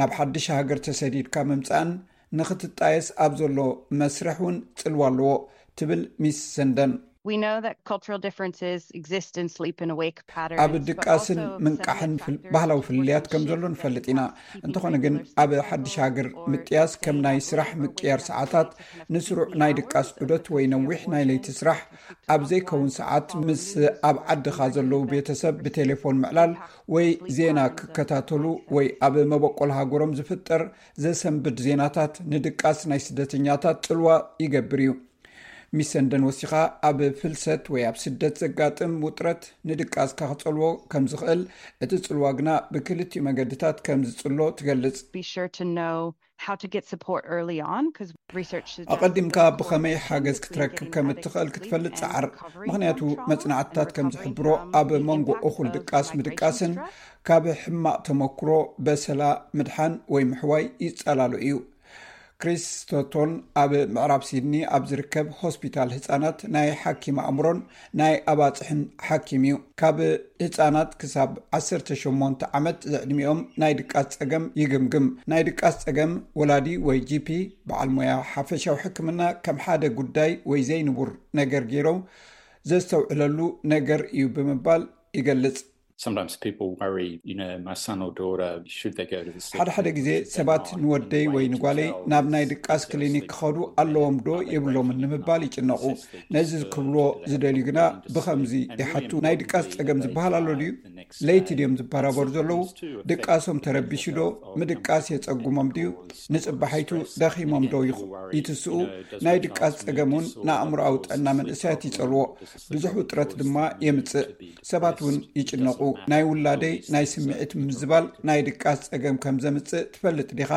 ናብ ሓድሽ ሃገር ተሰዲድካ ምምጻእን ንኽትጣየስ ኣብ ዘሎ መስርሕ እውን ጽልዋ ኣለዎ ትብል ሚስ ሰንደን። We know that cultural differences exist in sleep and awake patterns. ኣብ ድቃስን ምንቃሕን ባህላዊ ፍልልያት ከም ዘሎ ንፈልጥ ኢና። እንተኾነ ግን ኣብ ሓድሽ ሃገር ምጥያስ ከም ናይ ስራሕ ምቅያር ሰዓታት፣ ንስሩዕ ናይ ድቃስ ዑደት ወይ ነዊሕ ናይ ለይቲ ስራሕ፣ ኣብ ዘይከውን ሰዓት ምስ ኣብ ዓድኻ ዘለዉ ቤተሰብ ብቴሌፎን ምዕላል ወይ ዜና ክከታተሉ ወይ ኣብ መበቆል ሃገሮም ዝፍጠር ዘሰንብድ ዜናታት ንድቃስ ናይ ስደተኛታት ጽልዋ ይገብር እዩ። ሚስ ሰንደን ወሲኻ ኣብ ፍልሰት ወይ ኣብ ስደት ዘጋጥም ውጥረት ንድቃስካ ክጸልዎ ከም ዝኽእል፣ እቲ ጽልዋ ግና ብክልቲኡ መገድታት ከም ዝጽሎ ትገልጽ። Be sure to know how to get support early on because research suggests ኣቐዲምካ ብኸመይ ሓገዝ ክትረክብ ከም እትኽእል ክትፈልጥ ጸዓር። ምኽንያቱ መጽናዕትታት ከም ዝሕብሮ ኣብ መንጎ እኹል ድቃስ ምድቃስን ካብ ሕማቕ ተመክሮ በሰላ ምድሓን ወይ ምሕዋይ ይጸላሉ እዩ። ክሪስ ስቶቶን ኣብ ምዕራብ ሲድኒ ኣብ ዝርከብ ሆስፒታል ህጻናት ናይ ሓኪም ኣእምሮን ናይ ኣባጽሕን ሓኪም እዩ። ካብ ህጻናት ክሳብ ዓሰርተ ሸሞንተ ዓመት ዝዕድሚኦም ናይ ድቃስ ጸገም ይግምግም። ናይ ድቃስ ጸገም ወላዲ ወይ ጂፒ፣ በዓል ሞያ ሓፈሻዊ ሕክምና፣ ከም ሓደ ጉዳይ ወይ ዘይንቡር ነገር ገይሮም ዘስተውዕለሉ ነገር እዩ ብምባል ይገልጽ። Sometimes people worry, you know, my son or daughter, should they go to the sleep ሓደ ሓደ ግዜ ሰባት ንወደይ ወይ ንጓለይ ናብ ናይ ድቃስ ክሊኒክ ክኸዱ ኣለዎም ዶ የብሎምን ንምባል ይጭነቑ። ነዚ ክብልዎ ዝደልዩ ግና ብኸምዚ ይሓቱ፣ ናይ ድቃስ ጸገም ዝበሃል ኣሎ ድዩ? ለይቲ ድዮም ዝበራበሩ ዘለዉ? ድቃሶም ተረቢሹ ዶ? ምድቃስ የጸጉሞም ድዩ? ንጽባሒቱ ደኺሞም ዶ ይኹ- ይትስኡ? ናይ ድቃስ ጸገም እውን ንኣእምሮኣዊ ጥዕና መንእሰያት ይጸልዎ፣ ብዙሕ ውጥረት ድማ የምጽእ። ሰባት እውን ይጭነቑ። ናይ ውላደይ ናይ ስምዒት ምምዝባል ናይ ድቃስ ጸገም ከም ዘምጽእ ትፈልጥ ዲኻ?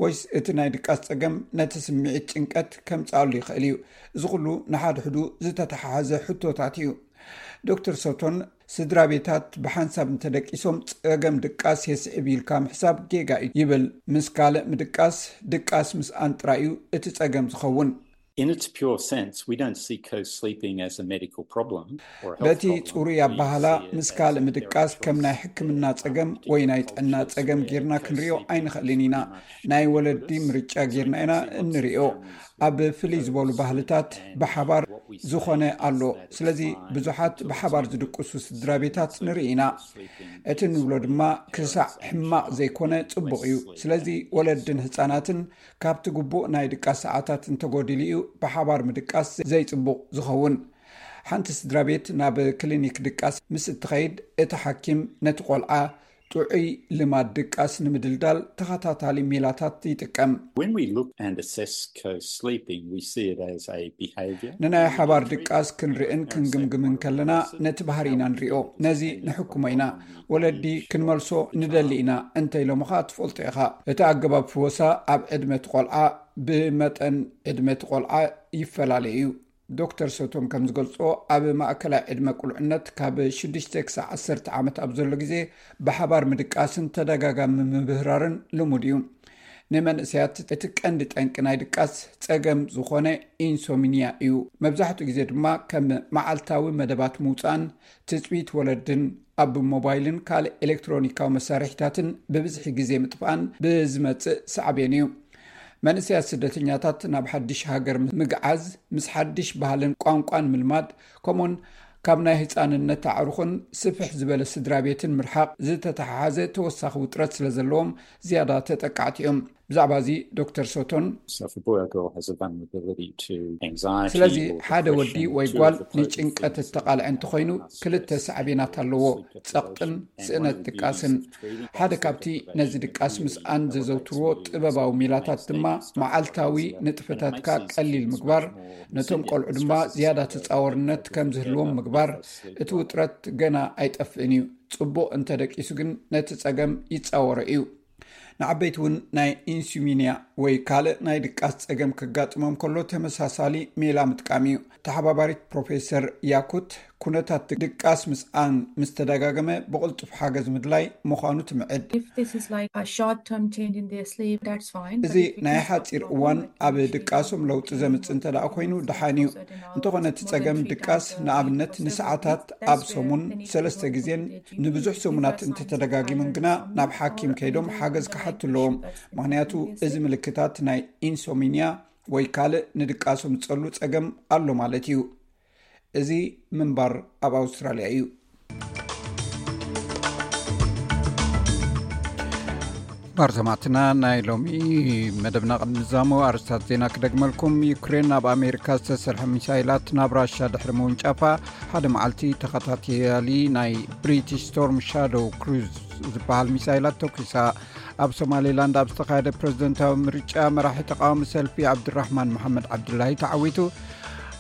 ወይስ እቲ ናይ ድቃስ ጸገም ነቲ ስምዒት ጭንቀት ከምጽኣሉ ይኽእል እዩ? እዚ ኩሉ ንሓድሕዱ ዝተተሓሓዘ ሕቶታት እዩ። ዶክተር ሶቶን ስድራ ቤታት ብሓንሳብ እንተደቂሶም ጸገም ድቃስ የስዕብ ኢልካ ምሕሳብ ጌጋ እዩ ይብል። ምስ ካልእ ምድቃስ፣ ድቃስ ምስኣን ጥራይ እዩ እቲ ጸገም ዝኸውን። In its pure sense, we don't see co-sleeping as a medical problem or a health በቲ problem. ጽሩይ We ኣባህላ see it ምስ as ካልእ a ምድቃስ ከም ናይ ሕክምና ጸገም ወይ ናይ ጥዕና ጸገም ጌርና ክንሪኦ ኣይንኽእልን ኢና። ናይ ወለዲ ምርጫ ጌርና ኢና እንሪኦ። ኣብ ፍልይ ዝበሉ ባህልታት ብሓባር ዝኾነ ኣሎ። ስለዚ ብዙሓት ብሓባር ዝድቅሱ ስድራ ቤታት ንርኢ ኢና። እቲ ንብሎ ድማ ክሳዕ ሕማቕ ዘይኮነ ጽቡቕ እዩ። ስለዚ ወለድን ህጻናትን ካብቲ ግቡእ ናይ ድቃስ ሰዓታት እንተጎዲሉ እዩ ብሓባር ምድቃስ ዘይጽቡቕ ዝኸውን። ሓንቲ ስድራ ቤት ናብ ክሊኒክ ድቃስ ምስ እትኸይድ፣ እቲ ሓኪም ነቲ ቆልዓ ጥዑይ ልማድ ድቃስ ንምድልዳል ተኸታታሊ ሜላታት ይጥቀም። When we look and assess co-sleeping, we see it as a behaviour. ንናይ ሓባር ድቃስ ክንርእን ክንግምግምን ከለና ነቲ ባህሪ ኢና ንሪኦ። ነዚ ንሕክሞ ኢና። ወለዲ ክንመልሶ ንደሊ ኢና እንተኢሎምኻ ትፈልጦ ኢኻ። እቲ ኣገባብ ፍወሳ ኣብ ዕድመ እቲ ቆልዓ ብመጠን ዕድመ እቲ ቆልዓ ይፈላለ እዩ። ዶክተር ሶቶም ከም ዝገልጾ ኣብ ማእከላይ ዕድመ ቁልዕነት ካብ ሽዱሽተ ክሳብ ዓሰርተ ዓመት ኣብ ዘሎ ግዜ ብሓባር ምድቃስን ተደጋጋሚ ምብህራርን ልሙድ እዩ። ንመንእሰያት እቲ ቀንዲ ጠንቂ ናይ ድቃስ ጸገም ዝኾነ ኢንሶሚኒያ እዩ። መብዛሕትኡ ግዜ ድማ ከም መዓልታዊ መደባት ምውጻእን ትጽቢት ወለድን ኣብ ሞባይልን ካልእ ኤሌክትሮኒካዊ መሳርሒታትን ብብዝሒ ግዜ ምጥፋእን ብዝመጽእ ሳዕቤን እዩ። መንእሰያት ስደተኛታት ናብ ሓድሽ ሃገር ምግዓዝ ምስ ሓድሽ ባህልን ቋንቋን ምልማድ ከምኡን ካብ ናይ ህፃንነት ኣዕሩኽን ስፍሕ ዝበለ ስድራ ቤትን ምርሓቕ ዝተተሓሓዘ ተወሳኺ ውጥረት ስለ ዘለዎም ዝያዳ ተጠቃዕቲ እዮም። ብዛዕባ እዚ ዶክተር ሶቶን So if a boy or girl has a vulnerability to anxiety ስለዚ or ሓደ ወዲ depression, ወይ two ጓል of the potencies ንጭንቀት እተቓልዐ እንተኾይኑ ክልተ ሳዕቤናት ኣለዎ፣ ጸቕጥን ስእነት ድቃስን። ሓደ ካብቲ ነዚ ድቃስ ምስኣን ዘዘውትርዎ ጥበባዊ ሜላታት ድማ መዓልታዊ ንጥፈታትካ ቀሊል ምግባር፣ ነቶም ቆልዑ ድማ ዝያዳ ተጻወርነት ከም ዝህልዎም ምግባር። እቲ ውጥረት ገና ኣይጠፍእን እዩ። ጽቡቕ እንተደቂሱ ግን ነቲ ጸገም ይጻወሮ እዩ። ንዓበይቲ እውን ናይ ኢንሱሚንያ ወይ ካልእ ናይ ድቃስ ጸገም ከጋጥሞም ከሎ ተመሳሳሊ ሜላ ምጥቃም እዩ። ተሓባባሪት ፕሮፌሰር ያኩት ኩነታት ድቃስ ምስኣን ምስ ተደጋገመ ብቕልጡፍ ሓገዝ ምድላይ ምዃኑ ትምዕድ። If this is like a short term change in their sleep, that's fine. እዚ ናይ ሓፂር እዋን ኣብ ድቃሶም ለውጢ ዘምፅእ እንተ ደኣ ኮይኑ ደሓን እዩ። እንተኾነ እቲ ጸገም ድቃስ ንኣብነት ንሰዓታት ኣብ ሰሙን ሰለስተ ግዜን ንብዙሕ ሰሙናት እንተተደጋጊሙን ግና ናብ ሓኪም ከይዶም ሓገዝ ክሓቱ ኣለዎም። ምኽንያቱ እዚ ምልክታት ናይ ኢንሶሚንያ ወይ ካልእ ንድቃሶም ዝጸሉ ጸገም ኣሎ ማለት እዩ። እዚ ምንባር ኣብ ኣውስትራልያ እዩ። ባር ሰማዕትና፣ ናይ ሎሚ መደብና ቅድሚ ምዛሙ ኣርስታት ዜና ክደግመልኩም። ዩክሬን ናብ ኣሜሪካ ዝተሰርሐ ሚሳይላት ናብ ራሻ ድሕሪ ምውንጫፋ ሓደ መዓልቲ ተኸታተሊ ናይ ብሪቲሽ ስቶርም ሻዶው ክሩዝ ዝበሃል ሚሳይላት ተኩሳ። ኣብ ሶማሌላንድ ኣብ ዝተኻየደ ፕሬዝደንታዊ ምርጫ መራሒ ተቃዋሚ ሰልፊ ዓብድራሕማን መሓመድ ዓብዱላሂ ተዓዊቱ።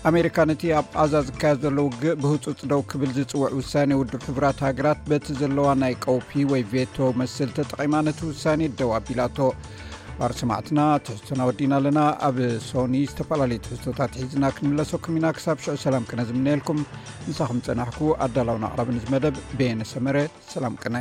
ኣሜሪካ ነቲ ኣብ ቃዛ ዝካየድ ዘሎ ውግእ ብህጹጽ ደው ክብል ዝጽውዕ ውሳኔ ውድብ ሕቡራት ሃገራት በቲ ዘለዋ ናይ ቀውፊ ወይ ቬቶ መስል ተጠቒማ ነቲ ውሳኔ ደው ኣቢላቶ። ባር ሰማዕትና ትሕዝቶና ወዲና ኣለና። ኣብ ሶኒ ዝተፈላለዩ ትሕዝቶታት ሒዝና ክንምለሰኩም ኢና። ክሳብ ሽዑ ሰላም ክነ ዝምነየልኩም። ምሳኹም ጸናሕኩ ኣዳላውን ኣቕራብን እዚ መደብ በየነ ሰመረ። ሰላም ቅነ።